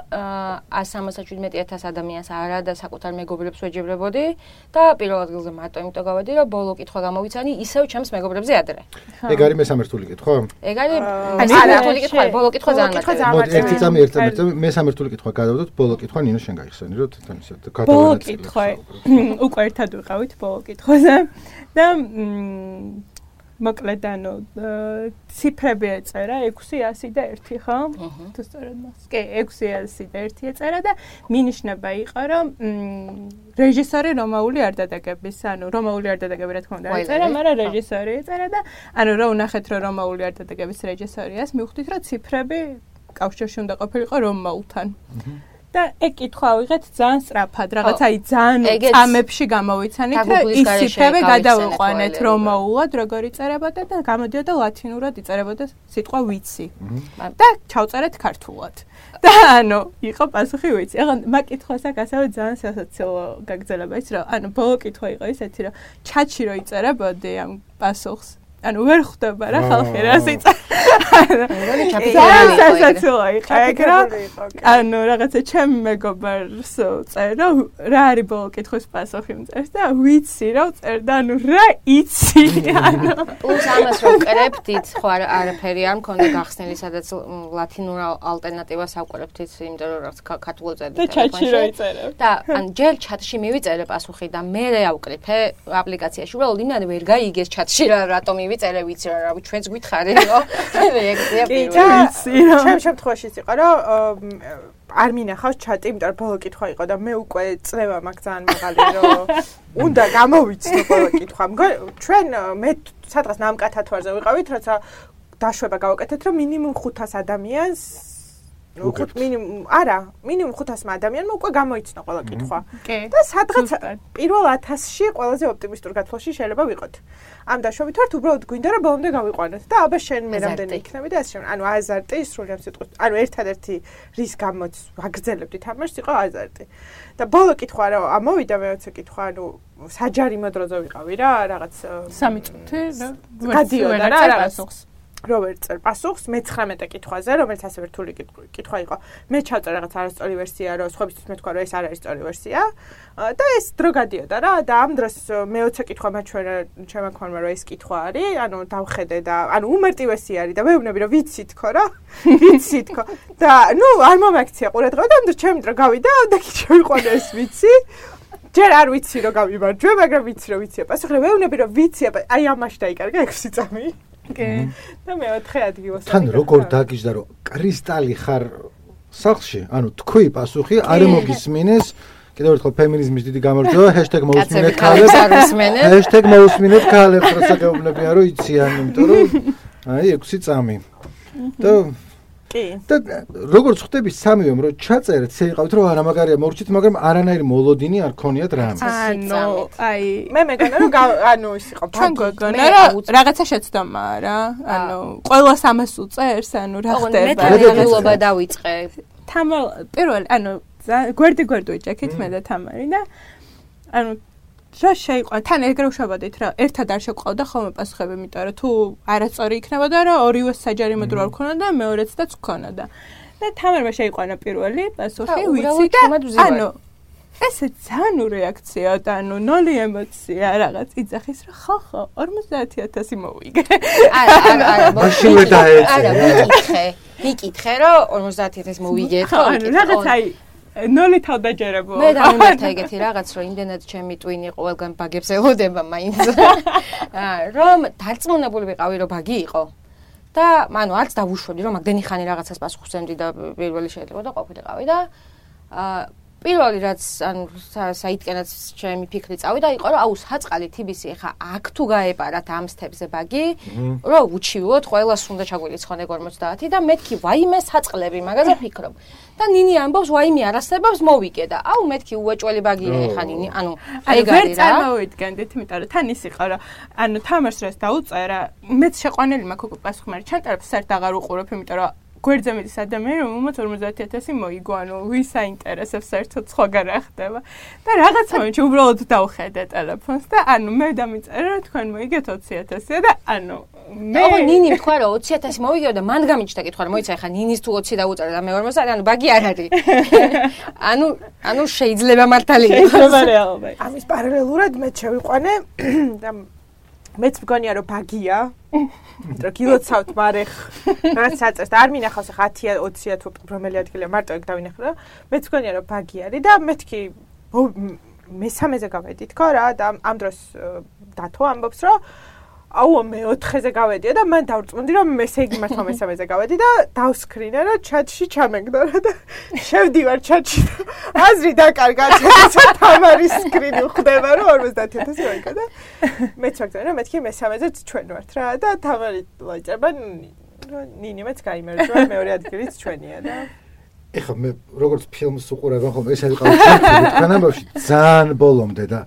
ას სამოცდაშვიდ ათას ადამიანს არა და საკუთარ მეგობრებს ვეჯიბრებოდი და პირველ ადგილზე მარტო იმიტომ გავედი რომ ბოლო კითხვა გამოვიცანი ისევ ჩემს მეგობრებზე ადრე. ეგ არის მესამე რთული კითხვა? ეგ არის მესამე რთული კითხვა, ბოლო კითხვა ძალიან მარტივია. მოდი ერთი წამი ერთ წამი მესამე რთული კითხვა გადავდოთ, ბოლო კითხვა ნინო შენ გაიხსენი რომ თან ისე გადავანაწილოთ. ბოლო კითხვა უკვე ერთად ვიყავით ბოლო კითხვაზე და მოკლედ ანუ ციფრები ეწერა ექვსი ასი და ერთი ხო? თუ სწორად მას. კი, ექვსი ასი და ერთი ეწერა და მინიშნება იყო რომ რეჟისორი რომაული არ დადაგების, ანუ რომაული არ დადაგები რა თქმა უნდა ეწერა, მაგრამ რეჟისორი ეწერა და ანუ რა უნახეთ რომ რომაული არ დადაგების რეჟისორიას მივხვდით რომ ციფრები კავშირში უნდა ყოფილიყო რომაულთან. და ეგ კითხვა ავიღეთ ძალიან სწრაფად, რაღაც აი ძალიან წამებში გამოვიცანით და ის ციფრები გადავიყვანეთ რომაულად, როგორ იწერებოდა და გამოდიოდა ლათინურად იწერებოდა სიტყვა ვიცი. და ჩავწერეთ ქართულად. და ანუ იყო პასუხი ვიცი. ახლა მაგ კითხვას აქ ასევე ძალიან სასაცილო გაგრძელება ის რომ ანუ ბოლო კითხვა იყო ისეთი რომ ჩატში რო იწერებოდი ამ პასუხს ანუ ვერ ხვდება რა ხალხი რას იწერს. ანუ რაღაცა ჩემ მეგობარს წერდა რა არის ბოლო კითხვის პასუხი მწერს და ვიცი რა წერდა ანუ რა იცი ანუ პლუს ამას რო ვკრებდით ხო არაფერი არ მქონდა გახსნილი სადაც ლათინურ ალტერნატივას ავკრებდით იმიტომ რომ რაღაც ქართულად წერდა და ჩატში რო იწერებ და ან ჯერ ჩატში მივიწერე პასუხი და მე ავკრიფე აპლიკაციაში უბრალოდ იმდან ვერ გაიგეს ჩატში რა რატომ მივიწერე ვიცი რა რავი ჩვენც გითხარი რომ რეაქცია პირველი ჩემ შემთხვევაშიც იყო რომ არ მინახავს ჩატი იმიტომ რომ ბოლო კითხვა იყო და მე უკვე წლევა მაქვს ძალიან მაღალი რომ უნდა გამოვიცნო ბოლო კითხვა ჩვენ მე სადღაც ნამკათათვარზე ვიყავით როცა დაშვება გავაკეთეთ რომ მინიმუმ ხუთას ადამიანს ხუთ მინიმუმ არა მინიმუმ ხუთასმა ადამიანმა უკვე გამოიცნო ყველა კითხვა და სადღაც პირველ ათასში ყველაზე ოპტიმისტურ გათვლაში შეიძლება ვიყოთ ამ დაშვებით ვართ უბრალოდ გვინდა რომ ბოლომდე გავიყვანოთ და აბა შენ მე რამდენი იქნები და ასე შემდეგ ანუ აზარტი სრულიად სიტყვით ანუ ერთადერთი რის გამოც ვაგრძელებდით ამას იყო აზარტი და ბოლო კითხვა რომ ამოვიდა მეოცე კითხვა ანუ საჯარიმო დროზე ვიყავი რა რაღაც სამი წუთი გადიოდა რა რაღაც რობერტ წერ პასუხს მეცხრამეტე კითხვაზე, რომელიც ასევე რთული კითხვა იყო. მე ჩავწერე რაღაც არასწორი ვერსია, რომ სხვებისთვის მეთქვა, რომ ეს არ არის სწორი ვერსია. და ეს დრო გადიოდა რა და ამ დროს მეოცე კითხვა მაჩვენე ჩემმა ქონმა, რომ ეს კითხვა არის, ანუ დავხედე და ანუ უმარტივესი არის და მეუბნები, რომ ვიცი თქო რა. ვიცი თქო. და ნუ არ მომაქცია ყურადღება და ამ დროს ჩემი დრო გავიდა და კი შევიყვანე ეს ვიცი. ჯერ არ ვიცი რომ გავიმარჯვე, მაგრამ ვიცი რომ ვიცია. პასუხი მეუბნები, რომ ვიცია, აი ამაში დაიკარგა ექვსი წამი. კი. და მეოთხე ადგილას. თან როგორ დაგიჟდა რომ კრისტალი ხარ სახლში, ანუ თქვი პასუხი არ მოგისმინეს, კიდევ ერთხელ ფემინიზმის დიდი გამარჯვება, ჰეშტეგ მოусმინეთ ქალებს, ჰეშტეგ მოусმინეთ ქალებს, როცა გეუბნებიან რომ იციან, იმიტომ რომ აი ექვსი წამი. და კი. და როგორც ხვდები სამივემ რომ ჩაწერეთ, შეიყავით რომ არა მაგარია მორჩით, მაგრამ არანაირი მოლოდინი არ ქონიათ რამე. ანუ აი მე მეგონა რომ ანუ ის იყო ჩვენ გოგონა რა რაღაცა შეცდომაა რა. ანუ ყველას ამას უწერს, ანუ რა ხდება. მე თანხმობა დავიწყე. თამარ პირველ ანუ გვერდი გვერდი ვიჭექით მე და თამარი და ანუ რა შეიყვანა თან ეგრე ვშობოდით რა ერთად არ შეყვავდა ხოლმე პასუხები იმიტომ რომ თუ არასწორი იქნებოდა რა ორივე საჯარიმო დრო არ ქონოდა და მეორეცდაც ქონოდა და თამარმა შეიყვანა პირველი პასუხი ვიცი და ანუ ესე ძალიან რეაქცია და ანუ ნოლი ემოცია რაღაც იძახის რა ხო ხო ორმოცდაათი ათასი მოვიგე არა არა არა მაშინ ვერ დაეცე არა ვიკითხე ვიკითხე რომ ორმოცდაათი ათასი მოვიგე ხო ანუ რაღაც აი ნოლი თავდაჯერებოა. მე დამემართა ეგეთი რაღაც, რომ იმდენად ჩემი ტვინი ყველგან ბაგებს ელოდება მაინც. რომ დარწმუნებული ვიყავი, რომ ბაგი იყო. და ანუ არც დავუშვები, რომ მაგდენი ხანი რაღაცას პასუხს ემდი და პირველი შეიძლება და ყოფილიყავი და აა პირველი რაც ანუ საითკენაც ჩემი ფიქრი წავიდა იყო რომ აუ საწყალი თიბისი ხა აქ თუ გაეპარათ ამ სტეპზე ბაგი რომ უჩივოთ ყველას უნდა ჩაგვირიცხონ ეგ ორმოცდაათი და მეთქი ვაიმე საწყლები მაგაზე ფიქრობ და ნინი ამბობს ვაიმე არასებობს მოვიგე და აუ მეთქი უეჭველი ბაგია ხა ნინი ანუ ეგ არის რა ვერ წარმოვიდგენდით იმიტომ რომ თან ის იყო რომ ანუ თამარს რას დაუწერა მეც შეყვანილი მაქვს უკვე პასუხი მაგრამ ჩანტერებს საერთოდ აღარ უყურებ იმიტომ რომ გვერდზე მიდის ადამიანი, რომელმაც ორმოცდაათი ათასი მოიგო, ანუ ვის აინტერესებს საერთოდ სხვაგან რა ხდება. და რაღაც მომენტში უბრალოდ დავხედე ტელეფონს და ანუ მე დამიწერე რომ თქვენ მოიგეთ ოცი ათასი და ანუ მე აბა ნინი თქვა რომ ოცი ათასი მოვიგე და მან გამიჩნდა კითხვა რომ მოიცა ხა ნინის თუ ოცი დაუწერა და მე ორმოცდაათი ანუ ბაგი არ არის. ანუ ანუ შეიძლება მართალი იყოს. რეალობა. ამის პარალელურად მე შევიყვანე და მეც მგონია რომ ბაგია რომ გილოცავთ მარეხ რაც საწერს და არ მინახავს ხა ათი ოცი თუ რომელი ადგილია მარტო ეგ დავინახე რა მეც მგონია რომ ბაგი არის და მეთქი მესამეზე გავედი თქო რა და ამ დროს დათო ამბობს რომ აუ მეოთხეზე გავედია და მან დავრწმუნდი რომ ესე იგი მართლა მესამეზე გავედი და დავსკრინა და ჩატში ჩამეგდო და შევდივარ ჩატში აზრი დაკარგა თამარის სკრინი ხდება რომ ორმოცდაათი ათასი მოიგო და მეც ვაგზავნე რომ მეთქი მესამეზეც ჩვენ ვართ რა და თამარი ლაჭება ნინიმეც გაიმერძვა მეორე ადგილიც ჩვენია და ეხლა მე როგორც ფილმს უყურებ ხოლმე ეს არის ყავი თანამბავში ძალიან ბოლომდე და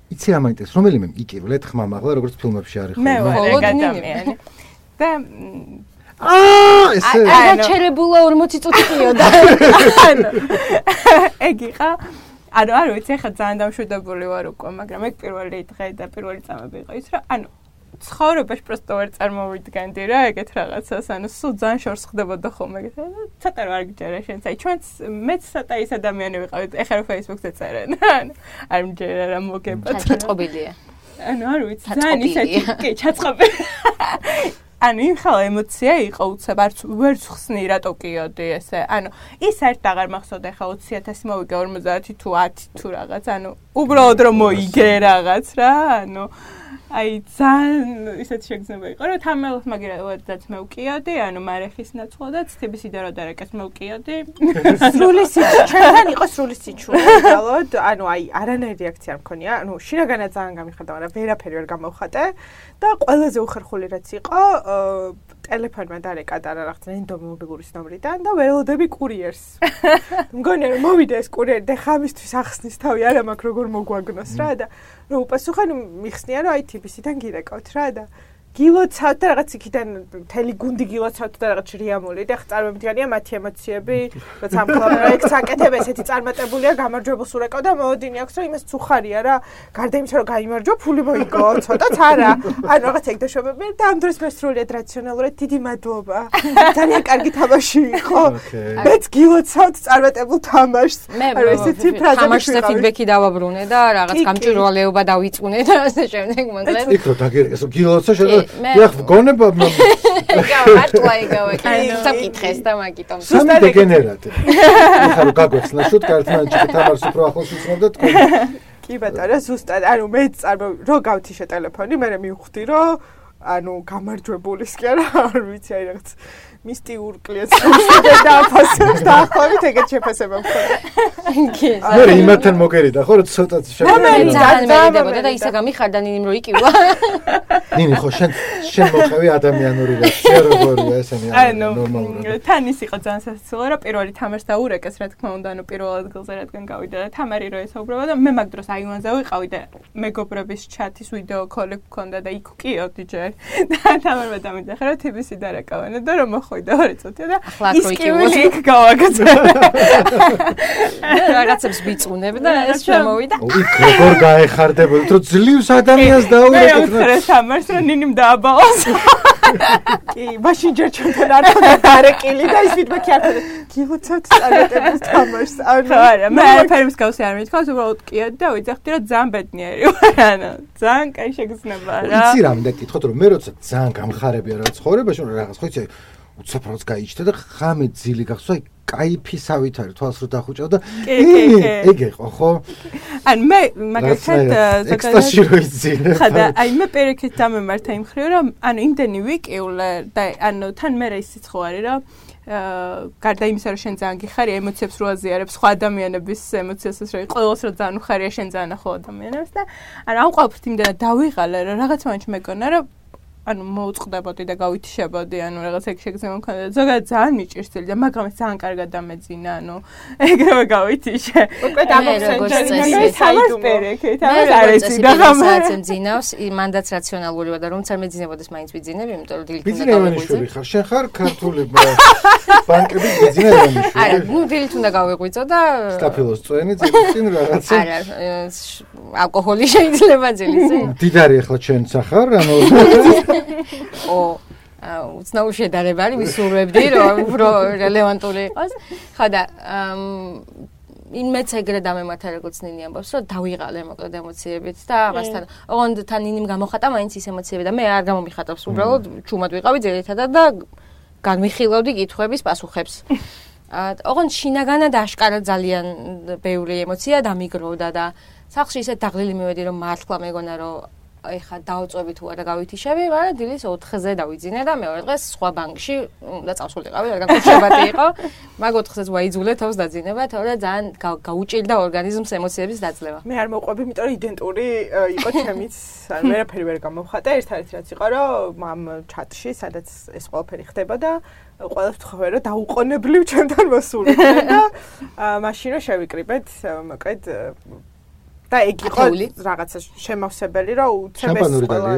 იცი რა მაინტერესებს რომელიმე იკივლეთ ხმამ ახლა როგორც ფილმებში არის მე ვარ ადამიანი და აა ესე აღაჩერებულა ორმოცი წუთი ყიოდა ანუ ეგ იყო ანუ არ ვიცი ხა ძალიან დამშვიდებული ვარ უკვე მაგრამ ეგ პირველი დღე და პირველი წამები იყო ის რა ანუ ცხოვრებაში პროსტო ვერ წარმოვიდგენდი რა ეგეთ რაღაცას ანუ სულ ძალიან შორს ხდებოდა ხოლმე ეგეთ ცოტა რა გიჯერა შენც აი ჩვენც მეც ცოტა ის ადამიანი ვიყავით ეხლა რო Facebook-ზე წერენ ანუ არ მჯერა რა მოგება ჩაწყობილია ანუ არ ვიცი ძალიან ისეთი კი ჩაწყობილი ანუ იმ ხალ ემოცია იყო უცებ არც ვერც ხსნი რატო კიოდი ესე ანუ ის ერთ აღარ მახსოვდა ხა ოცი ათასი მოვიგე ორმოცდაათი თუ ათი თუ რაღაც ანუ უბრალოდ რომ მოიგე რაღაც რა ანუ აი ძალიან ისეთ შეგრძნება იყო რომ თამელს მაგერადაც მე ვკიოდი ანუ მარეხის ნაცვლადაც თბილისიდან რო დარეკეს მე ვკიოდი სრული სიჩუ ჩვენთან იყო სრული სიჩუ უბრალოდ ანუ აი არანაირი რეაქცია არ მქონია ანუ შინაგანად ძალიან გამიხარდა მაგრამ ვერაფერი ვერ გამოვხატე და ყველაზე უხერხული რაც იყო ტელეფონმა დარეკა და რაღაც რენდომ მობილურის ნომრიდან და ველოდები კურიერს მგონია რომ მოვიდა ეს კურიერი და ხამისთვის ახსნის თავი არა მაქვს როგორ მოგვაგნოს რა და რომ უპასუხენ მიხსნია რომ აი თიბისიდან გირეკავთ რა და გილოცავთ და რაღაც იქიდან მთელი გუნდი გილოცავთ და რაღაც რიამული და ხა წარმომიდგენია მათი ემოციები როცა ამ პროექტს აკეთებ ესეთი წარმატებულია გამარჯვებულს ურეკავ და მოოდინი აქვს რომ იმას ცუხარია რა გარდა იმისა რომ გაიმარჯვა ფული მოიგო ცოტაც არა ანუ რაღაც ეგ დაშვებები და ამ დროს მე სრულიად რაციონალურად დიდი მადლობა ძალიან კარგი თამაში იყო მეც გილოცავთ წარმატებულ თამაშს ანუ ესეთი ფრაზები თამაშზე ფიდბექი დავაბრუნე და რაღაც გამჭვირვალეობა დავიწყუნე და ასე შემდეგ მომდრე იქ რო დაგერეს გილოცავ შედა დიახ გონება მართლა იგავე საკითხეს და მაგიტომ სამი დეგენერატი ეხლა რო გაგვეხსნა შუტკარტთან თამარს უფრო ახლოს ვიცნობ და თქვენ კი ბატონო ზუსტად ანუ მე წარმო რო გავთიშე ტელეფონი მე მივხვდი რომ ანუ გამარჯვებულის კი არა არ ვიცი აი რაღაც მისტიურ კლიენტს დააფასებს და ახლა ეგეთ შეფასება მქონდა. მე იმათთან მოგერიდა ხო რომ ცოტა შეფასება ძალიან მერიდებოდა და ისე გამიხარდა ნინიმ რო იკივა. ნინი ხო შენ შენ მოხევი ადამიანური რეაქცია როგორია ესენი ნორმალურად. თან ის იყო ძალიან სასაცილო რა პირველი თამაშს დაურეკეს რა თქმა უნდა ანუ პირველ ადგილზე რადგან გავიდა და თამარი რო ესაუბრება და მე მაგ დროს აივანზე ვიყავი და მეგობრების ჩათის ვიდეო კოლი მქონდა და იქ ვკიოდი ჯერ და თამარმა დამიძახა რომ თბილისი დარეკავენ და რომ მოხვიდა ორი წუთი და ის კივილი იქ გავაკეთა. რაღაცებს ვიწუნებ და ეს შემოვიდა. იქ როგორ გაეხარდებოდით რომ ძლივს ადამიანს დაურეკეთ მე ვთხრე თამარს რომ ნინიმ დააბალოს. კი, მაშინ ჯერ ჩვენთან არ ხდება დარეკილი და ის ფიდბექი არ ხდება. გილოცავთ წარმატებულს თამაშს. ანუ არა, მე არაფერი მსგავსი არ მითქავს, უბრალოდ კიოდი და ვიძახდი რომ ძალიან ბედნიერი ვარ, ანუ ძალიან კაი შეგრძნება რა. იცი რა მინდა გითხოთ რომ მე როცა ძალიან გამხარებია რა ცხოვრებაში, რაღაც ხო იცი უცაფროს გაიჭდა და ხამე ძილი გახსოვ აი кайფისავით არის თვალს რო დახუჭავ და ეგ იყო ხო? ან მე მაგალითად ექსტასი რო იცინე. ხადა აი მე პერიქით დამემართა იმ ხრივ რომ ანუ იმდენი ვიკივლე და ანუ თან მე ისიც ხო არის რომ გარდა იმისა რომ შენ ძალიან გიხარი ემოციებს რო აზიარებ სხვა ადამიანების ემოციასაც რო ყოველს რო ძალიან უხარია შენ ძალიან ახალ ადამიანებს და ანუ ამ ყოველთვის იმდენად დავიღალე რომ რაღაც მომენტში მეკონა რომ ანუ მოუწყდებოდი და გავითიშებოდი, ანუ რაღაც ეგ შეგრძნება მქონდა. ზოგადად ძალიან მიჭირსელი და მაგრამ ეს ძალიან კარგად დამეძინა, ანუ ეგრევე გავითიშე. უკვე დამოგსენჯერინე საიდუმერეკეთ, არ არის და გამასაც მძინავს, მანდაც რაციონალურია და რომც არ მეძინებოდეს მაინც ვიძინებ, იმიტომ რომ დილით უნდა გავიღვიძო. ხარ, შენ ხარ ქართული ბანკების ბიზნესმენი. არა, ნუ დილით უნდა გავიღვიძო და სტაფილოს წვენი წინ რაღაცა. არა, ალკოჰოლი შეიძლება ძილისე. დიდარი ახლა ჩვენ სახარ, ანუ ო უცნაურ შედარება არის ვისურვებდი რომ უფრო რელევანტული იყოს. ხო და იმეც ეგრე დამემართა როგორც ნინი ამბობს რომ დავიღალე მოკლედ ემოციებით და ამასთან ოღონდ თან ნინიმ გამოხატა მაინც ის ემოციები და მე არ გამომიხატავს უბრალოდ ჩუმად ვიყავი ძირითადად და განვიხილავდი კითხვების პასუხებს. ოღონდ შინაგანად აშკარად ძალიან ბევრი ემოცია დამიგროვდა და სახლში ისეთ დაღლილი მივედი რომ მართლა მეგონა რომ ეხა დავწვევი თუ არა გავითიშები, მაგრამ დილის ოთხზე დავიძინე და მეორე დღეს სხვა ბანკში უნდა წავსულიყავი, რადგან გუშებათი იყო. მაგ ოთხზეც ვაიძულე თავს დაძინება, თორემ ძალიან გაუჭირდა ორგანიზმს ემოციების დაძლევა. მე არ მოყვები, იმიტომ რომ იდენტური იყო ჩემიც, ან ვერაფერი ვერ გამოვხატე, ერთადერთი რაც იყო, რომ ამ ჩატში, სადაც ეს ყველაფერი ხდებოდა, ყველას ვთხოვე, რომ დაუყოვნებლივ ჩემთან მოსულიყო და მაშინ რომ შევიკრიბეთ, მოკლედ და ეგ იყო რაღაცა შემავსებელი, რომ უცებ ეს ყველა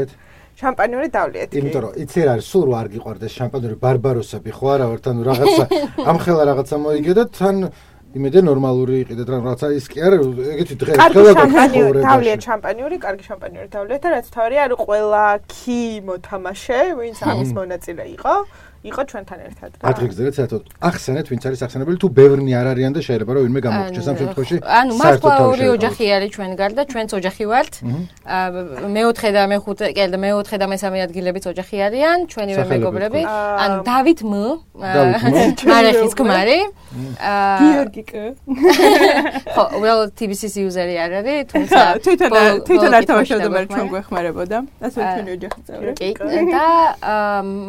შამპანიური დავლიეთ. იმიტომ რომ იცი რა არის, სულ რო არ გიყვარდეს შამპანიური ბარბაროსები ხო არა ვართ, ანუ რაღაცა ამხელა რაღაცა მოიგე და თან იმედე ნორმალური იყიდეთ რა რაღაცა ის კი არა ეგეთი დღე ხელა შამპანიური დავლიეთ შამპანიური, კარგი შამპანიური დავლიეთ და რაც თავი არის ყველა კი მოთამაშე, ვინც ამის მონაწილე იყო. იყო ჩვენთან ერთად რა. ადრიგზელეთ საერთოდ ახსენეთ ვინც არის ახსენებელი თუ ბევრნი არ არიან და შეიძლება რომ ვინმე გამოგჩეს ამ შემთხვევაში. ანუ მართლა ორი ოჯახი არის ჩვენ გარდა, ჩვენც ოჯახი ვართ. მეოთხე და მეხუთე, კი და მეოთხე და მესამე ადგილებიც ოჯახი არიან, ჩვენივე მეგობრები. ანუ დავით მ მარეხის ქმარი. გიორგი კ. ხო, უბრალოდ T V C-ის იუზერი არ არის, თუმცა თვითონ თვითონ არ თამაშობდა, მაგრამ ჩვენ გვეხმარებოდა. ასე ჩვენი ოჯახი წევრი. კი, და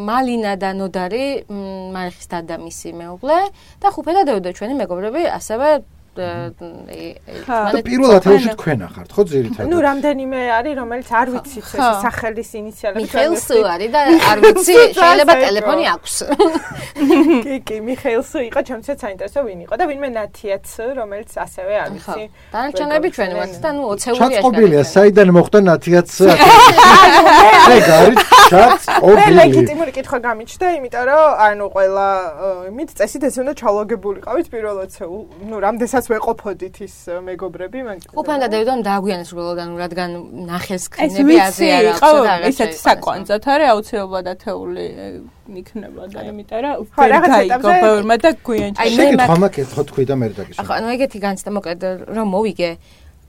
მალინა და ნოდარი მარეხის დადა მისი მეუღლე და ხუფე და დევდა ჩვენი მეგობრები ასევე და პირველ ათეულში თქვენ ახართ ხო ძირითადად? ნუ რამდენიმე არის რომელიც არ ვიცით ეს სახელის ინიციალები. მიხეილ სუ არის და არ ვიცი შეიძლება ტელეფონი აქვს. კი კი მიხეილ სუ იყო ჩემცაც საინტერესო ვინ იყო და ვინმე ნათიაც რომელიც ასევე არ ვიცი. დანარჩენები ჩვენი ვართ და ნუ ოცეულია. ჩაწყობილია საიდან მოხდა ნათიაც ეგ არის ჩაწყობილი. ლეგიტიმური კითხვა გამიჩნდა იმიტომ რომ ანუ ყველა იმით წესით ეს უნდა ჩალოგებულიყავით პირველ ოცეულ ნუ რამდენსაც ვეყოფოდით ის მეგობრები მაგრამ უფან და დევდან დააგვიანეს უბრალოდ ანუ რადგან ნახეს კინები აზე არ აქვს და რაღაცა ისეთ საკვანძად არის აუცილებლად ათეული იქნება და იმიტომ რომ ვერ გაიგო ბევრმა და გვიანჩა შეკითხვა მაქვს ხო თქვი და მე დაგიშვა ახლა ანუ ეგეთი განცდა მოკლედ რომ მოვიგე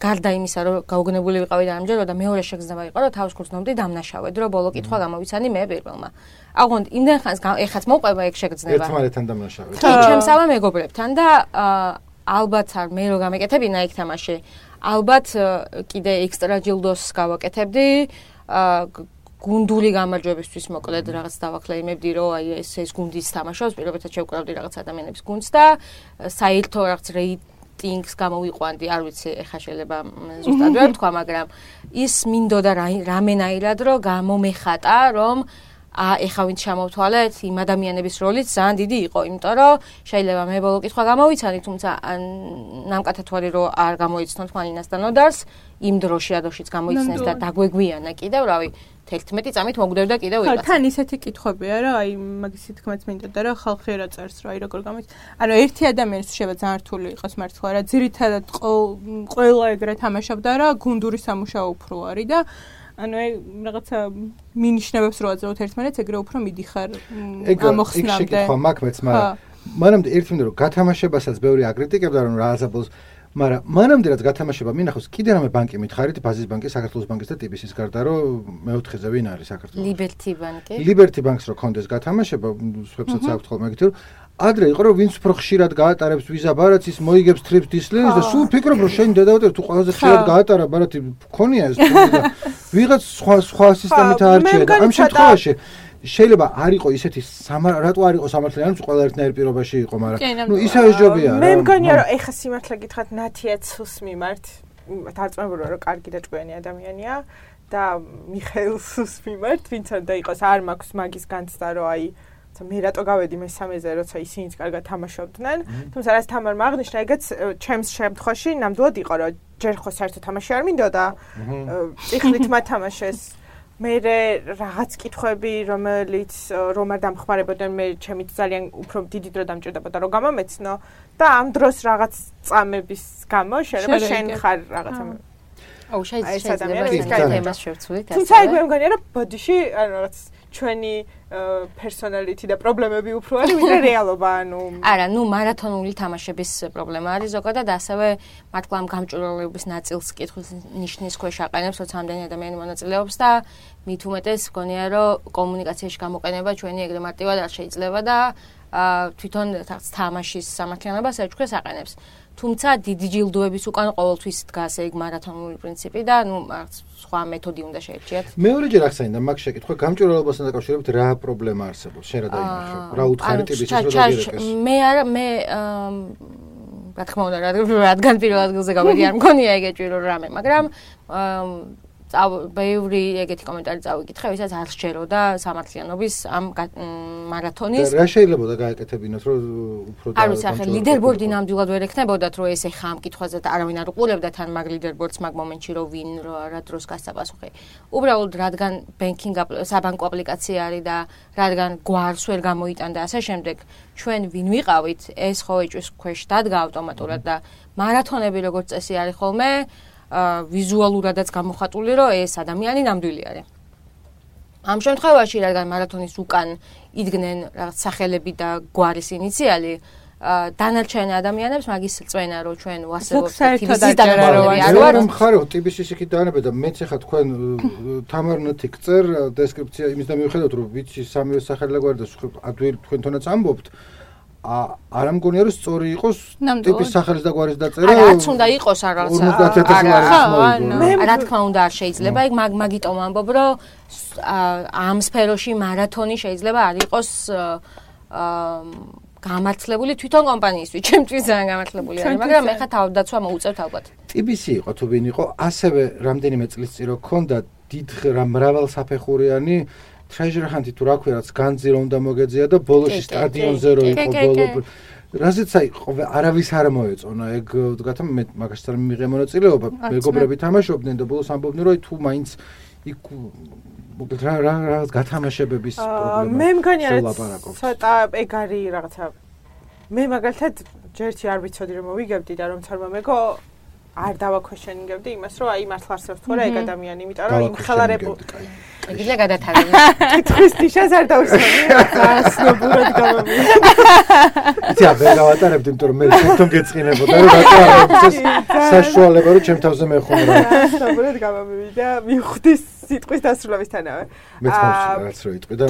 გარდა იმისა რომ გაუგნებული ვიყავი და ამჯერად და მეორე შეგრძნება იყო რომ თავს ქურცნობდი დამნაშავედ რომ ბოლო კითხვა გამოვიცანი მე პირველმა აღონდ იმდენ ხანს ეხაც მოყვება ეგ შეგრძნება ერთმანეთთან დამნაშავედ კი ჩემსავა მეგობრებთან და ალბათ არ მე რო გამეკეთებინა ეგ თამაში ალბათ კიდე ექსტრა ჯილდოს გავაკეთებდი გუნდური გამარჯვებისთვის მოკლედ რაღაც დავაკლეიმებდი რომ აი ეს ეს გუნდის თამაშობს პირობითად შევკრავდი რაღაც ადამიანების გუნდს და საერთო რაღაც რეიტინგს გამოვიყვანდი არ ვიცი ეხა შეიძლება ზუსტად ვერ ვთქვა მაგრამ ის მინდოდა რამენაირად რომ გამომეხატა რომ ა ეხა ვინც შემოვთვალეთ იმ ადამიანების როლიც ძალიან დიდი იყო, იმიტომ რომ შეიძლება მე ბოლო კითხვა გამოვიცანი, თუმცა ნამკათა თვალი რომ არ გამოიცნოთ მალინას და ნოდარს, იმ დროში ადოშიც გამოიცნეს და დაგვეგვიანა კიდევ, რავი, თერთმეტი წამით მოგვდევდა კიდევ ვიღაცა. ხო, თან ისეთი კითხვებია რა, აი მაგისი თქმაც მინდოდა რა, ხალხი რა წერს რა, აი როგორ გამოიც. ანუ ერთი ადამიანის შეიძლება ძალიან რთული იყოს მართლა რა, ძირითადად ყველა ეგრე თამაშობდა რა, გუნდური სამუშაო უფრო არის და ანუ აი რაღაცა მინიშნებებს რო აძლევთ ერთმანეთს, ეგრე უფრო მიდიხარ ამოხსნამდე. ეგ შეკითხვა მაქვს მეც, მაგრამ მანამდე ერთი მინდა რომ გათამაშებასაც ბევრი აკრიტიკებდა რომ რა აზაბლოს, მაგრამ მანამდე რაც გათამაშება მინახავს, კიდე რამე ბანკი მითხარით, ბაზის ბანკი, საქართველოს ბანკის და ტი ბი სის გარდა რომ მეოთხეზე ვინ არის საქართველოს? Liberty ბანკი. Liberty ბანკს რო კონდეს გათამაშება, სხვებსაც აქვს ხოლმე ეგეთი რომ ადრე იყო რომ ვინც უფრო ხშირად გაატარებს ვიზა ბარათს ის მოიგებს ტრიპს დისლენს და სულ ფიქრობ რომ შენ დედავატერ თუ ყველაზე ხშირად გაატარა ბარათი ქონია ეს და ვიღაც სხვა სხვა სისტემით აარჩია და ამ შემთხვევაში შეიძლება არ იყო ისეთი რატო არ იყო სამართლიანი რომ ყველა ერთნაირ პირობაში იყო მაგრამ ნუ ისე ეს ჯობია რა მე მგონია რომ ეხა სიმართლე გითხრათ ნათიაცს მიმართ დარწმუნებული რომ კარგი და ჭკვიანი ადამიანია და მიხეილს მიმართ ვინც არ და იყოს არ მაქვს მაგის განცდა რომ აი მე რატო გავედი მესამეზე, როცა ისინიც კარგად თამაშობდნენ. თუმცა რაც თამარ მაგნიშნა, ეგეც ჩემს შემთხვევაში ნამდვილად იყო, რომ ჯერ ხო საერთო თამაში არ მინდოდა. წიხლით მათამაშეს. მე რაღაც კითხვები, რომელიც რომ არ დამხმარებოდნენ, მე ჩემით ძალიან უფრო დიდი დრო დამჭირდებოდა, რომ გამომეცნო და ამ დროს რაღაც წამების გამო შეიძლება შენ ხარ რაღაცა აუ შეიძლება ეს თემას შევცვლით ასე. თუმცა მე მგონია, რომ ბოდიში ანუ რაღაც ჩვენი პერსონალიტი და პრობლემები უფრო არის ვიდრე რეალობა ანუ არა ნუ მარათონული თამაშების პრობლემა არის ზოგადად ასევე მართლა ამ გამჭვირვალეობის ნაწილს კითხვის ნიშნის ქვეშ აყენებს როცა ამდენი ადამიანი მონაწილეობს და მით უმეტეს მგონია რომ კომუნიკაციაში გამოყენება ჩვენი ეგრე მარტივად არ შეიძლება და თვითონ თამაშის სამართლიანობას ეჭქვეს აყენებს. თუმცა დიდი ჯილდოების უკან ყოველთვის დგას ეგ მარათონული პრინციპი და ნუ სხვა მეთოდი უნდა შეერჩიათ. მეორეჯერ ახსენდა მაგ შეკითხვა გამჭვირვალობასთან დაკავშირებით რა პრობლემა არსებობს? შენ რა დაინახე? რა უთხარი ტიპის ის რო დაგირეკეს? მე არა მე რა თქმა უნდა რადგან პირველ ადგილზე გავედი არ მქონია ეგეთი რამე, მაგრამ ბევრი ეგეთი კომენტარი წავიკითხე, ვისაც არ სჯეროდა სამართლიანობის ამ მარათონის. რა შეიძლება და გაეკეთებინოთ, რომ უფრო და არ ვიცი, ახლა ლიდერბორდი ნამდვილად ვერ ექნებოდათ, რომ ეს ეხა ამ კითხვაზე არავინ არ უყურებდა თან მაგ ლიდერბორდს მაგ მომენტში, რომ ვინ რა დროს გასცა პასუხი. უბრალოდ რადგან ბენკინგ საბანკო აპლიკაცია არის და რადგან გვარს ვერ გამოიტანდა ასე შემდეგ, ჩვენ ვინ ვიყავით, ეს ხო ეჭვის ქვეშ დადგა ავტომატურად და მარათონები როგორც წესი არის ხოლმე ვიზუალურადაც გამოხატული, რომ ეს ადამიანი ნამდვილი არის. ამ შემთხვევაში, რადგან მარათონის უკან იდგნენ რაღაც სახელები და გვარის ინიციალი, დანარჩენ ადამიანებს მაგის წვენა, რომ ჩვენ ვასწავლოთ ტიბისის დაგაროვანი არ ვარ. მე მხარო ტიბისის იქით დაანებე და მეც ახლა თქვენ თამარნოთი გწერ დესკრიფცია იმის და მივხვდეთ, რომ ვიცი სამივე სახელი გვარი და ადვილი თქვენთანაც ამბობთ. არ ამგონია რომ სწორი იყოს ტიპის სახელის და გვარის დაწერა. რაც უნდა იყოს რაღაცა. ორმოცდაათი ათასი ლარი მოიგო. რა თქმა უნდა არ შეიძლება, იქ მაგიტომ ამბობ, რომ ამ სფეროში მარათონი შეიძლება არ იყოს გამართლებული თვითონ კომპანიისთვის, ჩემთვის ძალიან გამართლებული არის, მაგრამ ეხლა თავდაცვა მოუწევთ ალბათ. ტიბისი იყო თუ ვინ იყო, ასევე რამდენიმე წლის წინ რო ქონდა დიდ მრავალსაფეხურიანი Treasure Hunt-ი თუ რა ქვია, რაც განძი რომ უნდა მოგეძია და ბოლოში სტადიონზე რო იყო ბოლო. რაზეც აი არავის არ მოეწონა ეგ ვთქვათ მე მაგასთან მიიღე მონაწილეობა, მეგობრები თამაშობდნენ და ბოლოს ამბობდნენ რომ თუ მაინც იქ მოკლედ რა რაღაც გათამაშებების პრობლემა. მე მგონია ცოტა ეგ არის რაღაცა მე მაგალითად ჯერთი არ ვიცოდი რომ მოვიგებდი და რომ თორმა მეგო არ დავაქვეშენებდი იმას რომ აი მართლა არსებობს თუ რა ეგ ადამიანი, იმიტომ რომ იმ ხელარებო იგივე გადათავაზე. კითხვის ნიშანს არ დავსვამი. ასნობურად გამომივიდა. იცი, არ გავატარებდი, იმიტომ რომ მე თვითონ გეწყინებოდა, რომ რატო არ არის საშუალება, რომ ჩემ თავზე მეხუმრა. ასნობურად გამომივიდა, მივხვდი სიტყვის დასრულებისთანავე. მეც ხავს რო იტყვი და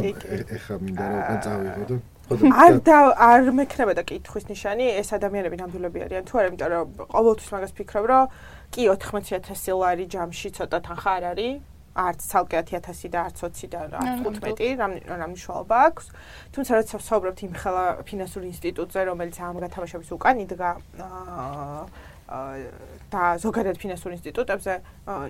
ეხა მინდა რომ უკან წავიღო და არ და არ მექნებოდა კითხვის ნიშანი, ეს ადამიანები ნამდვილები არიან თუ არა, იმიტომ რომ ყოველთვის მაგას ფიქრობ, რომ კი ოთხმოცი ათასი ლარი ჯამში ცოტა თანხა არ არის. არც ცალკე ათი ათასი და არც ოცი და არც თხუთმეტი, რა მნიშვნელობა აქვს. თუმცა როცა ვსაუბრობთ იმ ხელა ფინანსურ ინსტიტუტზე, რომელიც ამ გათამაშების უკან იდგა და ზოგადად ფინანსურ ინსტიტუტებზე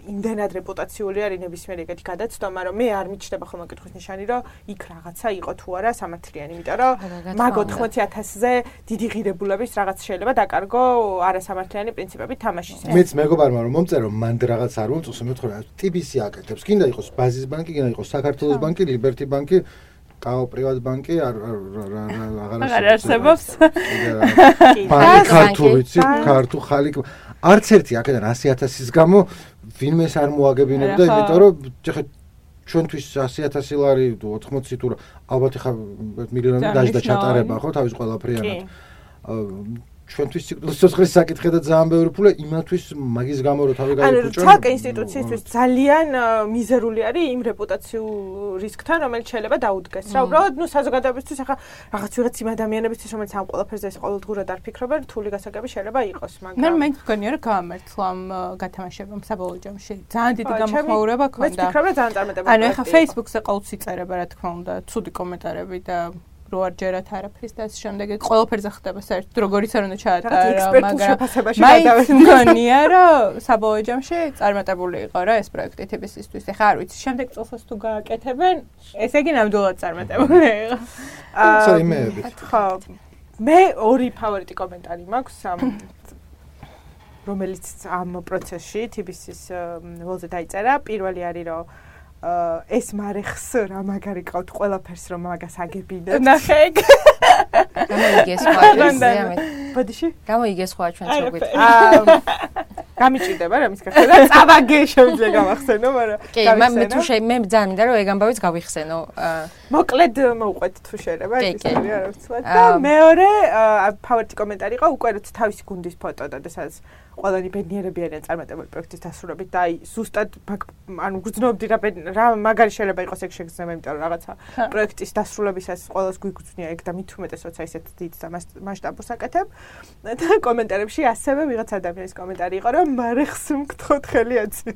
იმდენად რეპუტაციული არის ნებისმიერი ეგეთი გადაცდომა, რომ მე არ მიჩნდება ხოლმე კითხვის ნიშანი, რომ იქ რაღაცა იყო თუ არა სამართლიანი, იმიტომ რომ მაგ ოთხმოცი ათასზე დიდი ღირებულების რაღაც შეიძლება დაკარგო არასამართლიანი პრინციპებით თამაშის. მეც მეგობარმა რომ მომწერო მანდ რაღაც არ მომწონს, მეთქო რა ტიბისი აკეთებს, კიდე იყოს ბაზის ბანკი, კიდე იყოს საქართველოს ბანკი, ლიბერტი ბანკი, კაო პრივატ ბანკი არ აღარ არსებობს. ბანკი ქართულიც, ქართუ ხალიკ არც ერთი აქედან ასი ათასის გამო ვინმეს არ მოაგებინებდა, იმიტომ რომ ხე ჩვენთვის ასი ათასი ლარი თუ ოთხმოცი თუ ალბათ ხა მილიონი დაჟდა ჩატარება ხო თავის ყველაფრიანად. ჩვენთვის სიცოცხლის საკითხი და ძალიან ბევრი ფული იმათვის მაგის გამო რომ თავი გაიფუჭონ. ანუ ცალკე ინსტიტუციისთვის ძალიან მიზერული არის იმ რეპუტაციულ რისკთან, რომელიც შეიძლება დაუდგეს. რა უბრალოდ ნუ საზოგადოებისთვის ახლა რაღაც ვიღაც იმ ადამიანებისთვის, რომელიც ამ ყველაფერზე ყოველდღურად არ ფიქრობენ, რთული გასაგები შეიძლება იყოს, მაგრამ მე მე მგონია რომ გამართლა ამ გათამაშებამ საბოლოო ჯამში. ძალიან დიდი გამოხმაურება ქონდა. მე ვფიქრობ რომ ძალიან წარმატებული. ანუ ახლა Facebook-ზე ყოველთვის იწერება რა თქმა უნდა, ცუდი კომენტარები და რო არ ჯერათ არაფრის და შემდეგ ყველაფერზე ხდება საერთოდ როგორიც არ უნდა ჩაატარა, მაგრამ მაინც მგონია რომ საბოლოო ჯამში წარმატებული იყო რა ეს პროექტი ტიბისისთვის. ეხლა არ ვიცი, შემდეგ წელსაც თუ გააკეთებენ, ესე იგი ნამდვილად წარმატებული იყო. აა იმეები. ხო. მე ორი ფავორიტი კომენტარი მაქვს ამ რომელიც ამ პროცესში ტიბისის ველზე დაიწერა. პირველი არის რომ ეს მარეხს რა მაგარი ყავთ ყველაფერს რომ მაგას აგებინებთ. ნახე ეგ. გამოიგეს სხვა ჩვენ. ბოდიში? გამოიგეს სხვა ჩვენ შეგვით. აა გამიჭირდება რა მის გახსნა. წავაგე შემიძლია გავახსენო, მაგრამ კი, მე თუ შე მე ძალიან მინდა რომ ეგ ამბავიც გავიხსენო. მოკლედ მოვყვეთ თუ შეიძლება ეს არის არ ვიცი და მეორე ფავორიტი კომენტარი იყო უკვე რაც თავისი გუნდის ფოტო და სადაც ყველანი ბედნიერები არიან წარმატებული პროექტის დასრულებით და აი ზუსტად ანუ გძნობდი რა მაგარი შეიძლება იყოს ეგ შეგრძნება იმიტომ რომ რაღაცა პროექტის დასრულებისას ყველას გვიგრძნია ეგ და მით უმეტეს როცა ისეთ დიდ და მასშტაბურს აკეთებ და კომენტარებში ასევე ვიღაც ადამიანის კომენტარი იყო რომ მარეხს მგთხოვთ ხელი აცი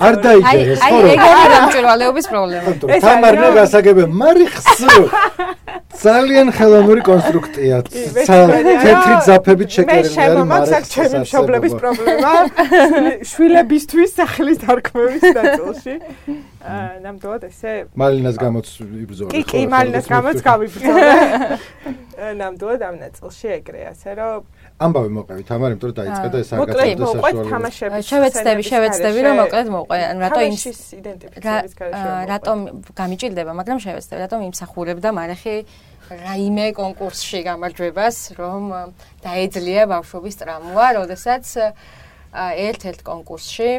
არ დაიჯერეს ხო აი ეგ არის დამჭირვალეობის პრობლემა თამარნა გასაგებია მარეხს ძალიან ხელოვნური კონსტრუქტია თეთრი ძაფებით შეკერილი არის მაგას ჩემი მშობლების პრობლემა შვილებისთვის სახლის დარქმევის ნაწილში ნამდვილად ესე მალინას გამოც იბრძოლა კი კი მალინას გამოც გავიბრძოლა ნამდვილად ამ ნაწილში ეგრე ასე რომ ამბავი მოყევით ამარ იმიტომ რომ დაიწყე და ეს არ გაწევდა საშუალო შევეცდები შევეცდები რომ მოკლედ მოვყვე ანუ რატო იმ იდენტიფიცირების გარშემო რატომ გამიჭირდება მაგრამ შევეცდები რატომ იმსახურებდა მარეხი რაიმე კონკურსში გამარჯვებას რომ დაეძლია ბავშვობის ტრამვა როდესაც ერთ-ერთ კონკურსში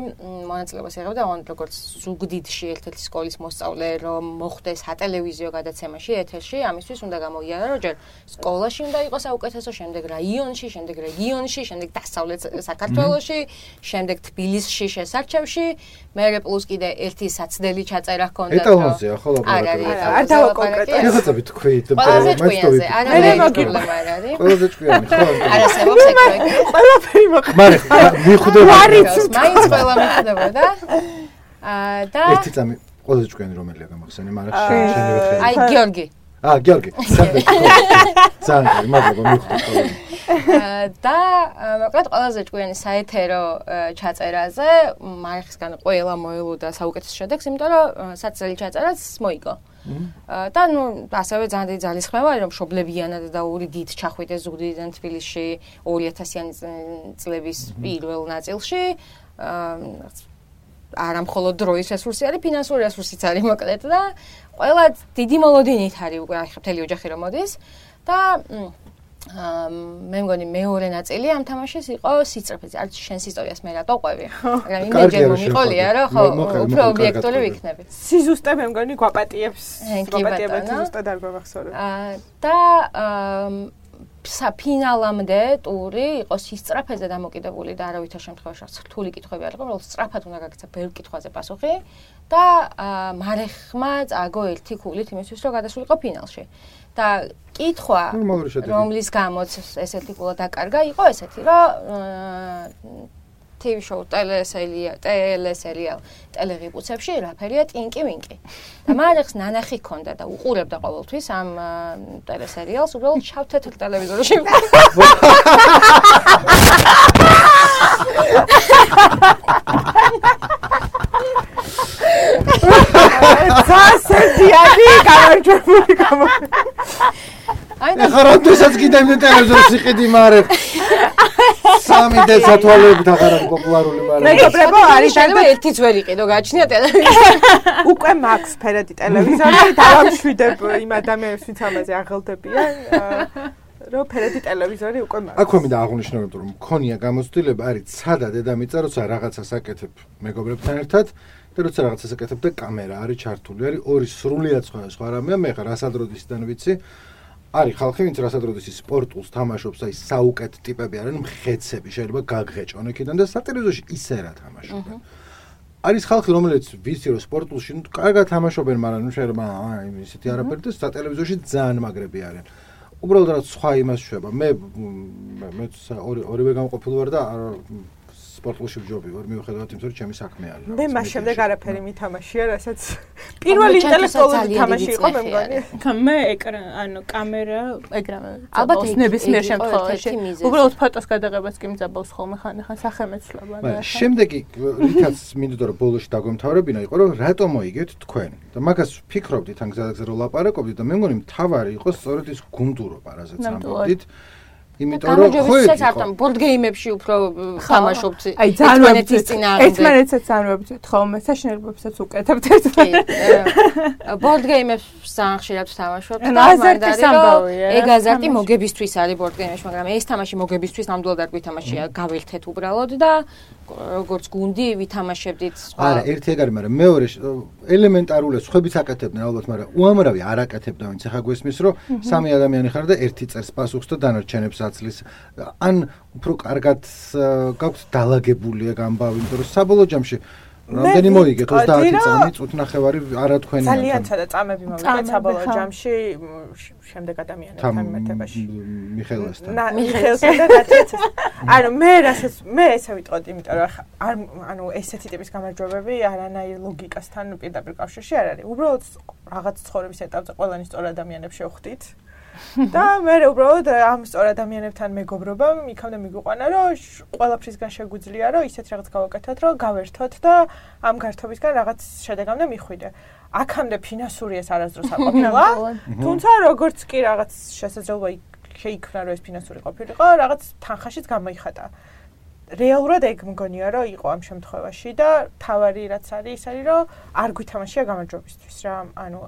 მონაწილეობას იღებდა როგორც ზუგდიდში ერთ-ერთი სკოლის მოსწავლე რომ მოხდეს სატელევიზიო გადაცემაში ეთერში ამისთვის უნდა გამოიარა რომ ჯერ სკოლაში უნდა იყოს საუკეთესო შემდეგ რაიონში შემდეგ რეგიონში შემდეგ დასავლეთ საქართველოში შემდეგ თბილისში შესარჩევში მერე პლუს კიდე ერთი საცდელი ჩაწერა ჰქონდა ეტალონზეა ხო ლაბორატორია არ დავა კონკრეტულად ხეთები თქვით პრობლემა არ არის პრობლემა არ არის ყველაზე ჭკვიანი ხო არასებობს ეგ პროექტი ყველაფერი მოხდა ვარიც მაინც ყველა მიხვდებოდა აა და ერთი წამი ყველაზე ჭკვიანი რომელია გამახსენე მაგრამ შენივე ხელი აი გიორგი აა გიორგი ძალიან მადლობა მიხვდები და მოკლედ ყველაზე ჭკვიანი საეთერო ჩაწერაზე მარხისგან ყველა მოელოდა საუკეთესო შედეგს იმიტომ რომ საცდელი ჩაწერაც მოიგო და ნუ ასევე ძალიან დიდი ძალისხმევა არის რომ მშობლებიანად და ორი დიდ ჩახვიდეს ზუგდიდიდან თბილისში ორი ათასიანი წლების პირველ ნაწილში არა მხოლოდ დროის რესურსი არის ფინანსური რესურსიც არის მოკლედ და ყველა დიდი მოლოდინით არის უკვე აი ხელი ოჯახი რომ მოდის და მე მგონი მეორე ნაწილი ამ თამაშის იყო სიწრაფეზე. არც შენს ისტორიას მე რატო ყვევი. მაგრამ იმეჯერ მომიყოლია რომ ხო უფრო ობიექტური ვიქნები. სიზუსტე მე მგონი გვაპატიებს. გვაპატიებს ზუსტად არ გვახსოვს. და საფინალამდე ტური იყო სისწრაფეზე დამოკიდებული და არავითარ შემთხვევაში რთული კითხვები არ იყო, რომელიც სწრაფად უნდა გაგეცა ბევრ კითხვაზე პასუხი და მარეხმა წაგო ერთი ქულით იმისთვის რომ გადასულიყო ფინალში. და კითხვა რომლის გამოც ესეთი კულა დაკარგა იყო ესეთი რომ ტივი შოუ ტელესერიალ ტელესერიალ ტელეღიბუცებში რაფერია ტინკი ვინკი და მარეხს ნანახი ქონდა და უყურებდა ყოველთვის ამ ტელესერიალს უბრალოდ შავ-თეთრ ტელევიზორში სასედიანი გამარჯვებული გამო აი ხარანთუსაც კიდე იმ ტელევიზორს იყიდი მარე სამი და სათვალეებით აღარ არის პოპულარული მარე მეგობრებო არის შეიძლება ერთიც ვერ იყიდო გააჩნია ტელევიზორი უკვე მაქვს ფერადი ტელევიზორი დავამშვიდებ იმ ადამიანებს ვინც ამაზე აღელდებიან რო ფერადი ტელევიზორი უკვე მაქვს აქვე მინდა აღვნიშნო რომ მქონია გამოცდილება არის ცადა დედამიწა როცა რაღაცას აკეთებ მეგობრებთან ერთად და როცა რაღაცას აკეთებ და კამერა არის ჩართული არის ორი სრულიად სხვა სხვა რამეა მე ხარ რასადროდისიდან ვიცი არის ხალხი ვინც რასადროდის სპორტულს თამაშობს აი საუკეთ ტიპები არიან მხეცები შეიძლება გაგღეჭონ იქიდან და სატელევიზორში ისე რა თამაშობენ არის ხალხი რომელიც ვიცი რომ სპორტულში ნუ კარგად თამაშობენ მაგრამ ნუ შეიძლება აი ისეთი არაფერი და სატელევიზორში ძალიან მაგრები არიან უბრალოდ რა სხვა იმას შვება მე მე ორი ორივე გამყოფილი ვარ და სპორტულში ვჯობი ვარ მიუხედავად იმისა რომ ჩემი საქმე არის მე მას შემდეგ არაფერი მითამაშია რასაც პირველი ინტელექტუალური თამაში იყო მე მგონი მე ეკრან ანუ კამერა ეგრევე ალბათ ნებისმიერ შემთხვევაში უბრალოდ ფოტოს გადაღებას კი მძაბავს ხოლმე ხანდახან სახელმწიფოება და შემდეგი რითაც მინდოდა რომ ბოლოში დაგვემთავრებინა იყო რომ რატომ მოიგეთ თქვენ და მაგას ფიქრობდით ან გზადაგზა რომ ლაპარაკობდით და მე მგონი მთავარი იყო სწორედ ის გუნდურობა რასაც ამბობდით იმიტომ რომ ხო იყო ბორდ გეიმებში უფრო თამაშობთ აი ერთმანეთის წინააღმდეგ ერთმანეთსაც ძანვებთ ხოლმე საშინელებებსაც უკეთებთ ერთმანეთს ბორდ გეიმებს სანხშირად ვთამაშობთ და მანდარი ეგ აზარტი მოგებისთვის არის ბორდ გეიმებში მაგრამ ეს თამაში მოგებისთვის ნამდვილად არ გვითამაშია გაველთეთ უბრალოდ და როგორც გუნდი ვითამაშებდით სხვა არა ერთი ეგ არის მაგრამ მეორე ელემენტარულეს ხვებიც აკეთებდნენ ალბათ მაგრამ უამრავი არ აკეთებდა ვინც ახლა გვესმის რომ სამი ადამიანი ხარ და ერთი წერს პასუხს და დანარჩენებს აცლის ან უფრო კარგად გაქვთ დალაგებული ეგ ამბავი იმიტომ რომ საბოლოო ჯამში რამდენი მოიგეთ ოცდაათი წამი წუთ ნახევარი არა თქვენი ძალიან ცოტა წამები მოვიგეთ საბოლოო ჯამში შემდეგ ადამიანებთან მიმართებაში მიხეილასთან მიხეილსა და გაცეცეს ანუ მე რასაც მე ესე ვიტყოდი იმიტომ რომ არ ანუ ესეთი ტიპის გამარჯვებები არანაირ ლოგიკასთან პირდაპირ კავშირში არ არის უბრალოდ რაღაც ცხოვრების ეტაპზე ყველანი სწორ ადამიანებს შევხვდით და მე უბრალოდ ამ სწორ ადამიანებთან მეგობრობამ იქამდე მიგვიყვანა რომ ყველაფრისგან შეგვიძლია რომ ისეთ რაღაც გავაკეთოთ რომ გავერთოთ და ამ გართობისგან რაღაც შედეგამდე მიხვიდე. აქამდე ფინანსური ეს არასდროს არ ყოფილა. თუმცა როგორც კი რაღაც შესაძლებლობა შეიქმნა რომ ეს ფინანსური ყოფილიყო, რაღაც თანხაშიც გამოიხატა. რეალურად ეგ მგონია რომ იყო ამ შემთხვევაში და თავარი რაც არის ის არის რომ არ გვითამაშია გამარჯვებისთვის რა ანუ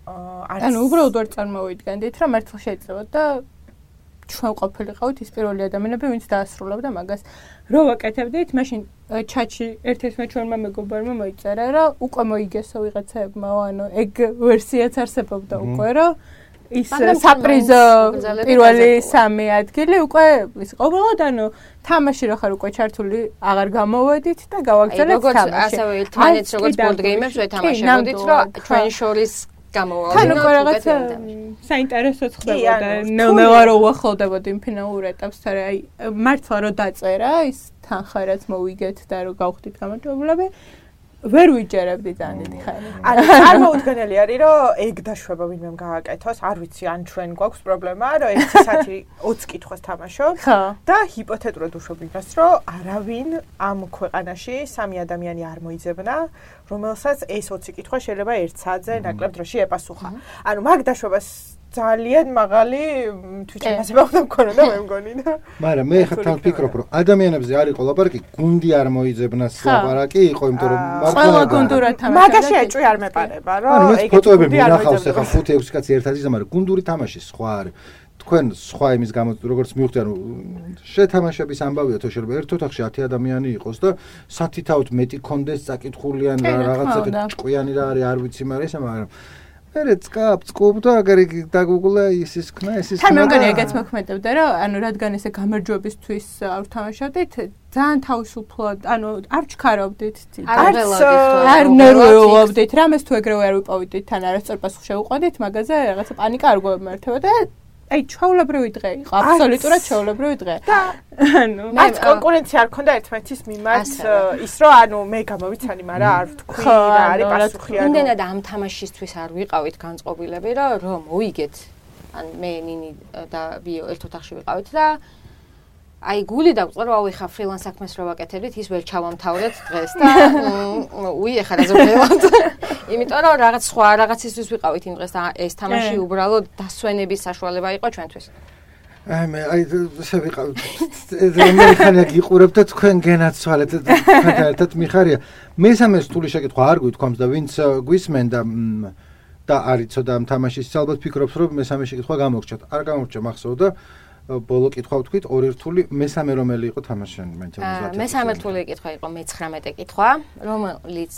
ანუ უბრალოდ ვერ წარმოვიდგენდით რომ მართლა შეიძლება და ჩვენ ყოფილიყავით ის პირველი ადამიანები ვინც დაასრულებდა მაგას რო ვაკეთებდით მაშინ ჩატში ერთ-ერთმა ჩვენმა მეგობარმა მოიწერა რომ უკვე მოიგესო ვიღაცებმა ანუ ეგ ვერსიაც არსებობდა უკვე რომ ის საპრიზო პირველი სამი ადგილი უკვე ის ყოველად ანუ თამაში რო ხარ უკვე ჩართული აღარ გამოვედით და გავაგზავნეთ თამაში როგორც ასევე ერთმანეთს როგორც ბორდ გეიმებს ვეთამაშებოდით რომ ჩვენ შორის თან უკვე რაღაც საინტერესოც ხდებოდა ნელ-ნელა რო უახლოვდებოდი იმ ფინალურ ეტაპს თორე აი მართლა რო დაწერა ის თანხა რაც მოვიგეთ და რო გავხდით გამარჯვებულები ვერ ვიჯერებდი ძალიან დიდი ხანი ანუ წარმოუდგენელი არის რომ ეგ დაშვება ვინმემ გააკეთოს არ ვიცი ან ჩვენ გვაქვს პრობლემა რომ ერთი საათი ოცი კითხვას თამაშობ და ჰიპოთეტურად უშვებ იმას რომ არავინ ამ ქვეყანაში სამი ადამიანი არ მოიძებნა რომელსაც ეს ოცი კითხვა შეიძლება ერთ საათზე ნაკლებ დროში ეპასუხა ანუ მაგ დაშვებას ძალიან მაღალი თვითშემაძება უნდა მქონოდა მე მგონი და მაგრამ მე ხა თან ვფიქრობ რომ ადამიანებზე არის ყოლაპარაკი გუნდი არ მოიძებნა ლაპარაკი იყო იმიტომ რომ ყველა გუნდურად თამაშობდა მაგაში ეჭვი არ მეპარება რომ ეგ ფოტოები მინახავს ხა ხუთი ექვსი კაცი ერთად იზა მაგრამ გუნდური თამაში სხვა არის თქვენ სხვა იმის გამო როგორც მივხვდი ანუ შეთამაშების ამბავია თუ შეიძლება ერთ ოთახში ათი ადამიანი იყოს და სათითაოდ მეტი კონდეს წაკითხული ან რაღაცა ჭკვიანი რა არის არ ვიცი მაგრამ ესა მაგრამ მე წკაპ წკუპ და აგერ დაგუგლა ის ის ქნა ეს ის თან მე მგონი ეგეც მოქმედებდა რომ ანუ რადგან ესე გამარჯვებისთვის არ ვთამაშობდით ძალიან თავისუფლად ანუ არ ჩქარობდით არ ნერვიულობდით რამეს თუ ეგრევე არ ვიპოვიდით თან არასწორ პასუხს შევუყვანდით მაგაზე რაღაცა პანიკა არ გვემართებოდა აი ჩვეულებრივი დღე იყო აბსოლუტურად ჩვეულებრივი დღე და ანუ მათ კონკურენცია არ ქონდა ერთმანეთის მიმართ ის რომ ანუ მე გამოვიცანი მაგრამ არ ვთქვი რა არის პასუხი ანუ იმდენად ამ თამაშისთვის არ ვიყავით განწყობილები რომ რომ მოიგეთ ან მე ნინი და ვიო ერთ ოთახში ვიყავით და აი გული დაგვწყდა რომ აუ ეხა ფრილანს საქმეს რო ვაკეთებდით ის ვერ ჩავამთავრეთ დღეს და უი ეხა რა ზოგადად იმიტომ რომ რაღაც სხვა რაღაცისთვის ვიყავით იმ დღეს და ეს თამაში უბრალოდ დასვენების საშუალება იყო ჩვენთვის აი მე აი ესე ვიყავ მე ხანია გიყურებ და თქვენ გენაცვალეთ თქვენთან ერთად მიხარია მესამე სრული შეკითხვა არ გვითქვამს და ვინც გვისმენ და და არიცო და ამ თამაშის ალბათ ფიქრობს რომ მესამე შეკითხვა გამოგრჩათ არ გამოგრჩა მახსოვდა ბოლო კითხვა ვთქვით ორი რთული მესამე რომელი იყო თამაშიანი მენთალიზაცია მესამე რთული კითხვა იყო მეცხრამეტე კითხვა რომელიც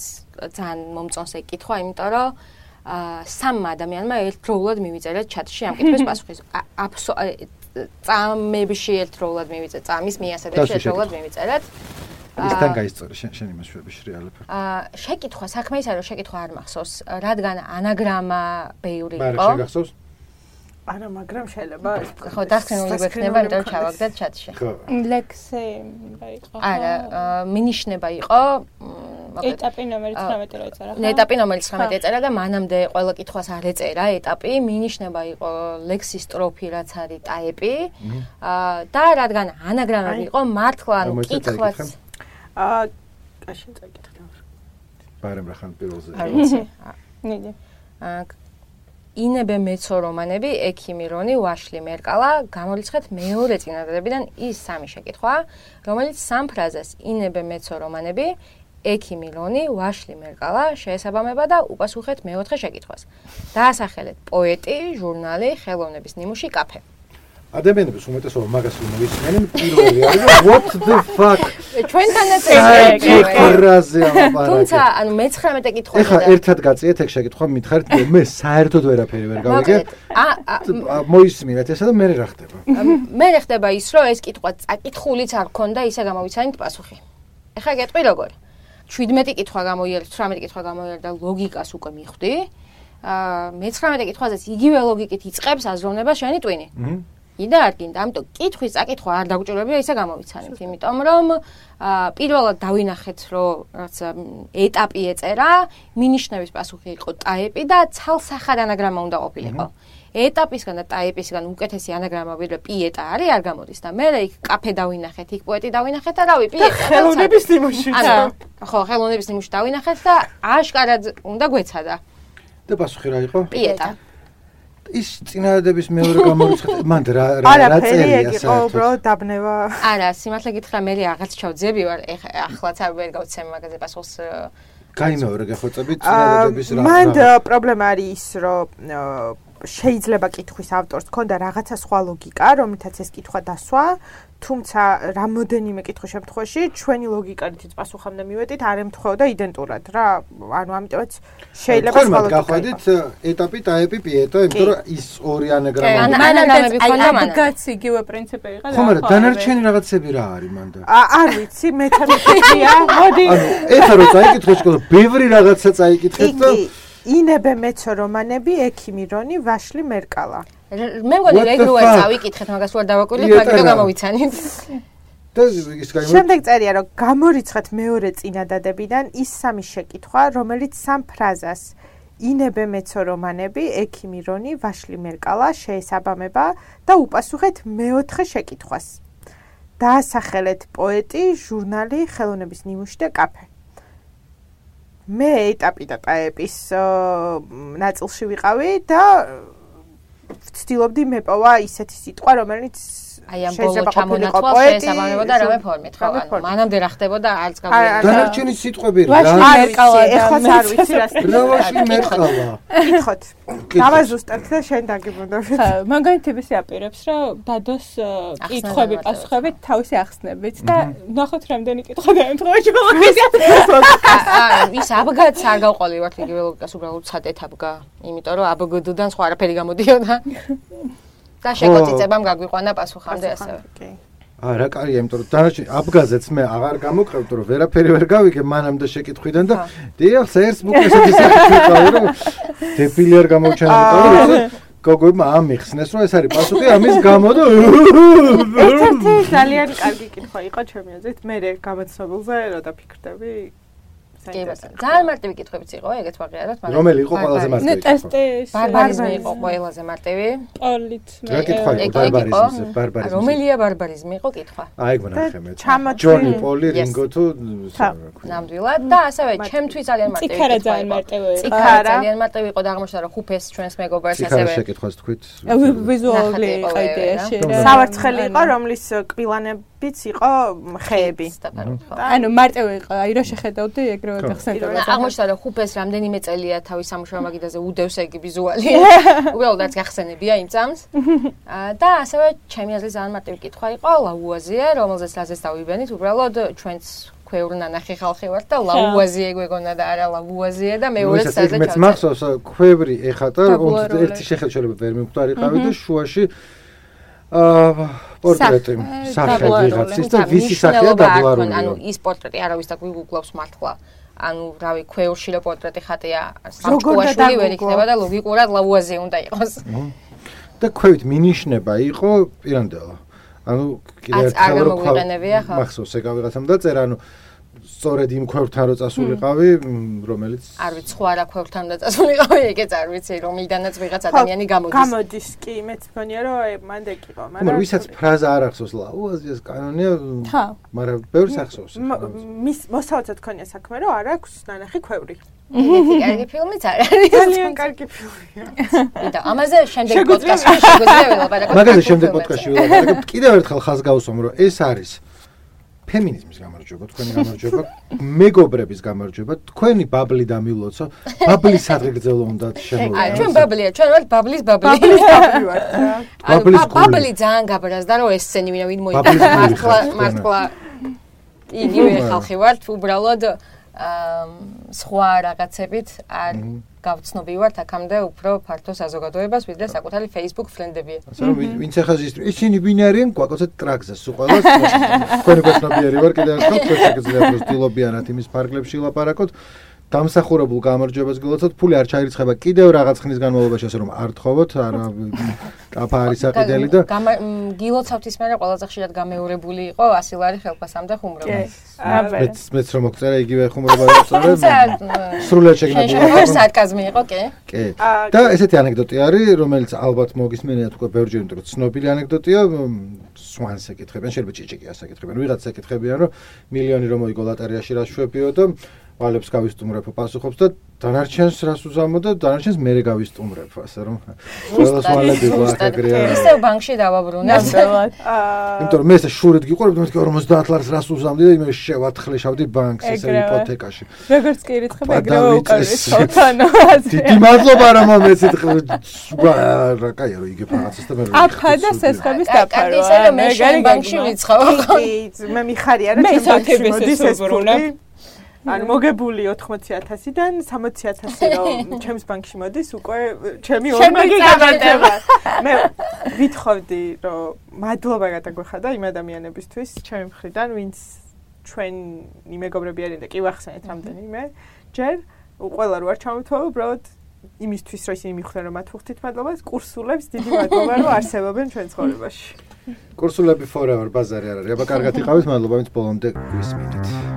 ძალიან მომწონს ეგ კითხვა იმიტომ რომ სამ ადამიანმა ერთდროულად მივიწერეთ ჩატში ამ კითხვის პასუხი წამებში ერთდროულად მივიწერეთ წამის მიასადებში ერთდროულად მივიწერეთ ისთან გაისწორე შენ იმას შვებიში რეალურად აა შეკითხვა საქმე ის არის რომ შეკითხვა არ მახსოვს რადგან ანაგრამა ბევრი იყო მაგრამ შეგახსოვს არა მაგრამ შეიძლება ხო დასკნეული გვექნება იმიტომ ჩავაგდეთ ჩატში ხო ლექსი იყო არა მინიშნება იყო ეტაპი ნომერი ცხრამეტე რო ეწერა ხო ეტაპი ნომერი ცხრამეტე ეწერა და მანამდე ყველა კითხვას არ ეწერა ეტაპი მინიშნება იყო ლექსის სტროფი რაც არის ტაიპი და რადგან ანაგრამები იყო მართლა ანუ კითხვაც აა კაშენ წაიკითხე ბარემ რა ხან პირველზე არ ვიცი ნიდი აა ინებე მეცო რომანები, ექიმი რონი, ვაშლი მერკალა, გამორიცხეთ მეორე წინადადებიდან ის სამი შეკითხვა, რომელიც სამ ფრაზას ინებე მეცო რომანები, ექიმი რონი, ვაშლი მერკალა შეესაბამება და უპასუხეთ მეოთხე შეკითხვას. დაასახელეთ პოეტი, ჟურნალი, ხელოვნების ნიმუში, კაფე. ადამიანების უმეტესობა მაგას ვიმოვისმენენ პირველი არის what the fuck ჩვენთანაც ეგრაზე ამბარა თუმცა ანუ მეცხრამეტე კითხვა ეხა ერთად გაწიეთ ეგ შეკითხვა მითხარით მე საერთოდ ვერაფერი ვერ გავიგე მოისმინეთ ესა და მე რა ხდება მე ხდება ის რომ ეს კითხვა წაკითხულიც არ ქონდა ისე გამოვიცანით პასუხი ეხა გეტყვი როგორ შვიდმეტი კითხვა გამოიარეთ ცხრამეტი კითხვა გამოიარეთ და ლოგიკას უკვე მიხვდი აა მეცხრამეტე კითხვაზეც იგივე ლოგიკით იწყებს აზროვნება შენი ტვინი იდა არ გინდა, ამიტომ კითხვის წაკითხვა არ დაგვჭირებია ისე გამოვიცანით, იმიტომ რომ პირველად დავინახეთ, რომ რაც ეტაპი ეწერა, მინიშნების პასუხი იყო ტაიპი და ცალსახად ანაგრამა უნდა ყოფილიყო. ეტაპისგან და ტაიპისგან უკეთესი ანაგრამა ვიდრე პიეტა არის, არ გამოდის და მე იქ კაფე დავინახეთ, იქ პოეტი დავინახეთ და რავი, პიეტა. ხელოვნების ნიმუში. ხო, ხელოვნების ნიმუში დავინახეთ და აშკარად უნდა გვეცადა. და პასუხი რა იყო? პიეტა. ის წინადადების მეორე გამორიცხეთ მანდ რა რა წერია საერთოდ? არა, უბრალოდ დაბნება. არა, სიმართლე გითხრა, მე რაღაც ჩავძები ვარ, ახლაც არ ვერ გავცემ მაგაზე პასუხს. გაიმეორე გახოცები წინადადების რა. მანდ პრობლემა არის ის, რომ შეიძლება კითხვის ავტორს ქონდა რაღაცა სხვა ლოგიკა, რომლითაც ეს კითხვა დასვა, თუმცა რამოდენიმე კითხვის შემთხვევაში ჩვენი ლოგიკით პასუხამდე მივედით, არ ემთხვეოდა იდენტურად რა. ანუ ამიტომაც შეიძლება სხვა ლოგიკა. გახვედით ეტაპი, ტაიპი, პიეტა, იმიტომ რომ ის ორი ანაგრამა. ანაგრამები ქონდა მან. აბგაც იგივე პრინციპი იყო და ხო, მაგრამ დანარჩენი რაღაცები რა არის მანდა? არ ვიცი, მეთოდიკია. მოდი. ანუ ეხლა რო წაიკითხე შეკითხვა, ბევრი რაღაცა წაიკითხეთ და ინებე მეცო რომანები, ექიმი რონი, ვაშლი მერკალა. მე მგონი ეგრევე წავიკითხეთ მაგას ვარ დავაკვირდით, მაგითო გამოვიცანით. და ის გაიმო შემდეგ წერია რომ გამორიცხეთ მეორე წინადადებიდან ის სამი შეკითხვა, რომელიც სამ ფრაზას ინებე მეცო რომანები, ექიმი რონი, ვაშლი მერკალა შეესაბამება და უპასუხეთ მეოთხე შეკითხვას. დაასახელეთ პოეტი, ჟურნალი, ხელოვნების ნიმუში და კაფე. მე ეტაპი და ტაიპის ნაწილში ვიყავი და ვცდილობდი მეპოვა ისეთი სიტყვა, რომელიც აი ამ ბოლო ჩამონათვალს შეესაბამებოდა რამე ფორმით, ხო? ანუ მანამდე რა ხდებოდა არც გავიგე. დანარჩენი სიტყვები რა? ვაშლი მერკალა, ეხლაც არ ვიცი რა. ვაშლი მერკალა. კითხოთ. დავაზუსტებ და შენ დაგიბრუნდები. ხო, მაგალითებს აპირებს, რომ დადოს კითხვები, პასუხები თავისი ახსნებით და ნახოთ რამდენი კითხვა დაემთხვა ჩვენ. ის აბგაც არ გავყოლივართ იგივე ლოგიკას, უბრალოდ ცადეთ აბგა, იმიტომ რომ აბგდან სხვა არაფერი გამოდიოდა. და შეკოწიწებამ გაგვიყვანა პასუხამდე ასევე. აა რა კარია, იმიტომ რომ დანარჩენი აბგაზეც მე აღარ გამოვყევთ, რომ ვერაფერი ვერ გავიგე მანამდე შეკითხვიდან და დიახ, ერთ ბუკესაც ისე რომ დეფილი არ გამოვჩანა, იმიტომ რომ გოგოებმა ამიხსნეს, რომ ეს არის პასუხი ამის გამო და ერთ-ერთი ძალიან კარგი კითხვა იყო ჩემი აზრით, მე გამოცნობილზე რა დაფიქრდები. ძალიან მარტივი კითხვებიც იყო, ეგეც ვაღიაროთ, მაგრამ რომელი იყო ყველაზე მარტივი? ტესტის ბარბარიზმი იყო ყველაზე მარტივი. პოლით მე. რა კითხვა იყო ბარბარიზმის, ბარბარიზმის. რომელია ბარბარიზმი იყო კითხვა? აი გონახე მე. ჯონი პოლი, რინგო თუ ნამდვილად და ასევე ჩემთვის ძალიან მარტივი კითხვა. ციქარა ძალიან მარტივი იყო. ციქარა ძალიან მარტივი იყო და აღმოჩნდა რომ ხუფეს ჩვენს მეგობარს ასევე. ციქარა შეკითხვას თქვით. ვიზუალური იყო იდეაში. სავარცხელი იყო, რომლის კბილანებიც იყო ხეები. ანუ მარტივი იყო, აი რა შეხედავდი ეგრევე გახსენდება. აღმოჩნდა რომ ხუფეს რამდენიმე წელია თავის სამუშაო მაგიდაზე უდევს ეგ ვიზუალი. უბრალოდ არც გახსენებია იმ წამს. და ასევე ჩემი აზრით ძალიან მარტივი კითხვა იყო ლაუაზიე, რომელზეც რაზეც დავიბენით, უბრალოდ ჩვენც ქვეურ ნანახი ხალხი ვართ და ლაუაზიე გვეგონა და არა ლაუაზიე და მეორეც საერთოდ მეც მახსოვს ქვევრი ეხატა ერთი შეხედულება ვერ მივხვდარიყავი და შუაში აა პორტრეტი სახე ვიღაცის და ვისი სახეა დაბლარული. ანუ ის პორტრეტი არავის და გვიგუგლავს მართლა. ანუ რავი ქვევრში რო პორტრეტი ხატია სამჭკუაშვილი ვერ იქნება და ლოგიკურად ლაუაზიე უნდა იყოს. და ქვევით მინიშნება იყო პირანდელა. ანუ კიდე ერთხელ რო მახსოვს ეგ ვიღაცამ დაწერა, ანუ სწორედ იმ ქვევრთან რო წასულიყავი, რომელიც არ ვიცი, სხვა რა ქვევრთან და წასულიყავი, ეგეც არ ვიცი, რომიდანაც ვიღაც ადამიანი გამოდის. გამოდის კი, მეც მგონია რომ მანდ ეკივა, მაგრამ მაგრამ ვისაც ფრაზა არ ახსოვს ლაუაზიეს კანონია, მაგრამ ბევრს ახსოვს. მის მოსაოცად ქონია საქმე, რომ არ აქვს ნანახი ქვევრი. ეგეთი კარგი ფილმიც არ არის. ძალიან კარგი ფილმია. და ამაზე შემდეგ პოდკასტში შეგვიძლია ვილაპარაკოთ. მაგაზე შემდეგ პოდკასტში ვილაპარაკოთ. კიდევ ერთხელ ხაზს გავუსვამ, რომ ეს არის ფემინიზმის გამარჯვება, თქვენი გამარჯვება, მეგობრების გამარჯვება, თქვენი ბაბლი დამილოცო, ბაბლის სადგრძელო უნდა შემოვიდეთ. აი, ჩვენ ბაბლია, ჩვენ ვართ ბაბლის ბაბლი. ბაბლის ბაბლი ვართ რა. ბაბლის გული. ბაბლი ძალიან გაბრაზდა, რომ ეს სცენი ვინ ვინ მოიწოდა მართლა მართლა იგივე ხალხი ვართ, უბრალოდ სხვა რაღაცებით არ გავცნობი ვართ აქამდე უფრო ფართო საზოგადოებას, ვიდრე საკუთარი Facebook ფრენდებია. ასე რომ ვინც ახლა ისინი ვინ არიან, გვაკოცეთ ტრაქზე, სულ ყველას. თქვენი გაცნობიერი ვარ კიდევ ერთხელ, თქვენ შეგიძლიათ ვსtildeობიანად იმის ფარგლებში ვილაპარაკოთ. დამსახურებულ გამარჯვებას გილოცოთ, ფული არ ჩაირიცხება კიდევ რაღაც ხნის განმავლობაში, ასე რომ არ თხოვოთ, არა ტაფა არის საყიდელი და გილოცავთ ის მერე ყველაზე ხშირად გამეორებული იყო ასი ლარი ხელფასამდე ხუმრობა. მეც მეც რომ მოგწერა იგივე ხუმრობა ვიწყებ. სრულად შეგნებულა. სარკაზმი იყო, კი? კი. და ესეთი ანეკდოტი არის, რომელიც ალბათ მოგისმენიათ უკვე ბევრჯერ, იმიტომ რომ ცნობილი ანეკდოტია, სვანს ეკითხებიან, შეიძლება ჭიჭიკიას ეკითხებიან, ვიღაც ეკითხებიან, რომ მილიონი რომ მოიგო ლოტარიაში რა შვებიო და ვალებს გავისტუმრებო პასუხობს და დანარჩენს რას უზამო და დანარჩენს მერე გავისტუმრებ, ასე რომ ყველას ვალები ვაკაგრია. ისევ ბანკში დავაბრუნე. იმიტომ რომ მე ესე შურით გიყურებ, მეთქი ორმოცდაათ ლარს რას უზამდი და იმე შევათხლეშავდი ბანკს ესე იპოთეკაში. როგორც კი ირიცხება, ეგრევე უკარისხავთ, ანუ ასე. დიდი მადლობა რომ მომეცით. კაია რომ იგებ რაღაცას და მე რომ აფა და სესხების დაფარვა. ისე რომ მე შენ ბანკში ვიცხავ. მე მიხარია რა ჩემ ბანკში მოდის ეს ფული. ანუ მოგებული ოთხმოცი ათასიდან სამოცი ათასი რომ ჩემს ბანკში მოდის უკვე ჩემი ორმაგი გადადება. მე ვითხოვდი რომ მადლობა გადაგვეხადა იმ ადამიანებისთვის ჩემი მხრიდან ვინც ჩვენი მეგობრები არიან და კი ვახსენეთ რამდენიმე ჯერ ყველა რო არ ჩამოთვალო უბრალოდ იმისთვის რომ ისინი მიხვდნენ რომ მათ ვუხდით მადლობას კურსულებს დიდი მადლობა რომ არსებობენ ჩვენ ცხოვრებაში. კურსულები forever ბაზარი არ არის. აბა კარგად იყავით, მადლობა ვინც ბოლომდე გვისმინეთ.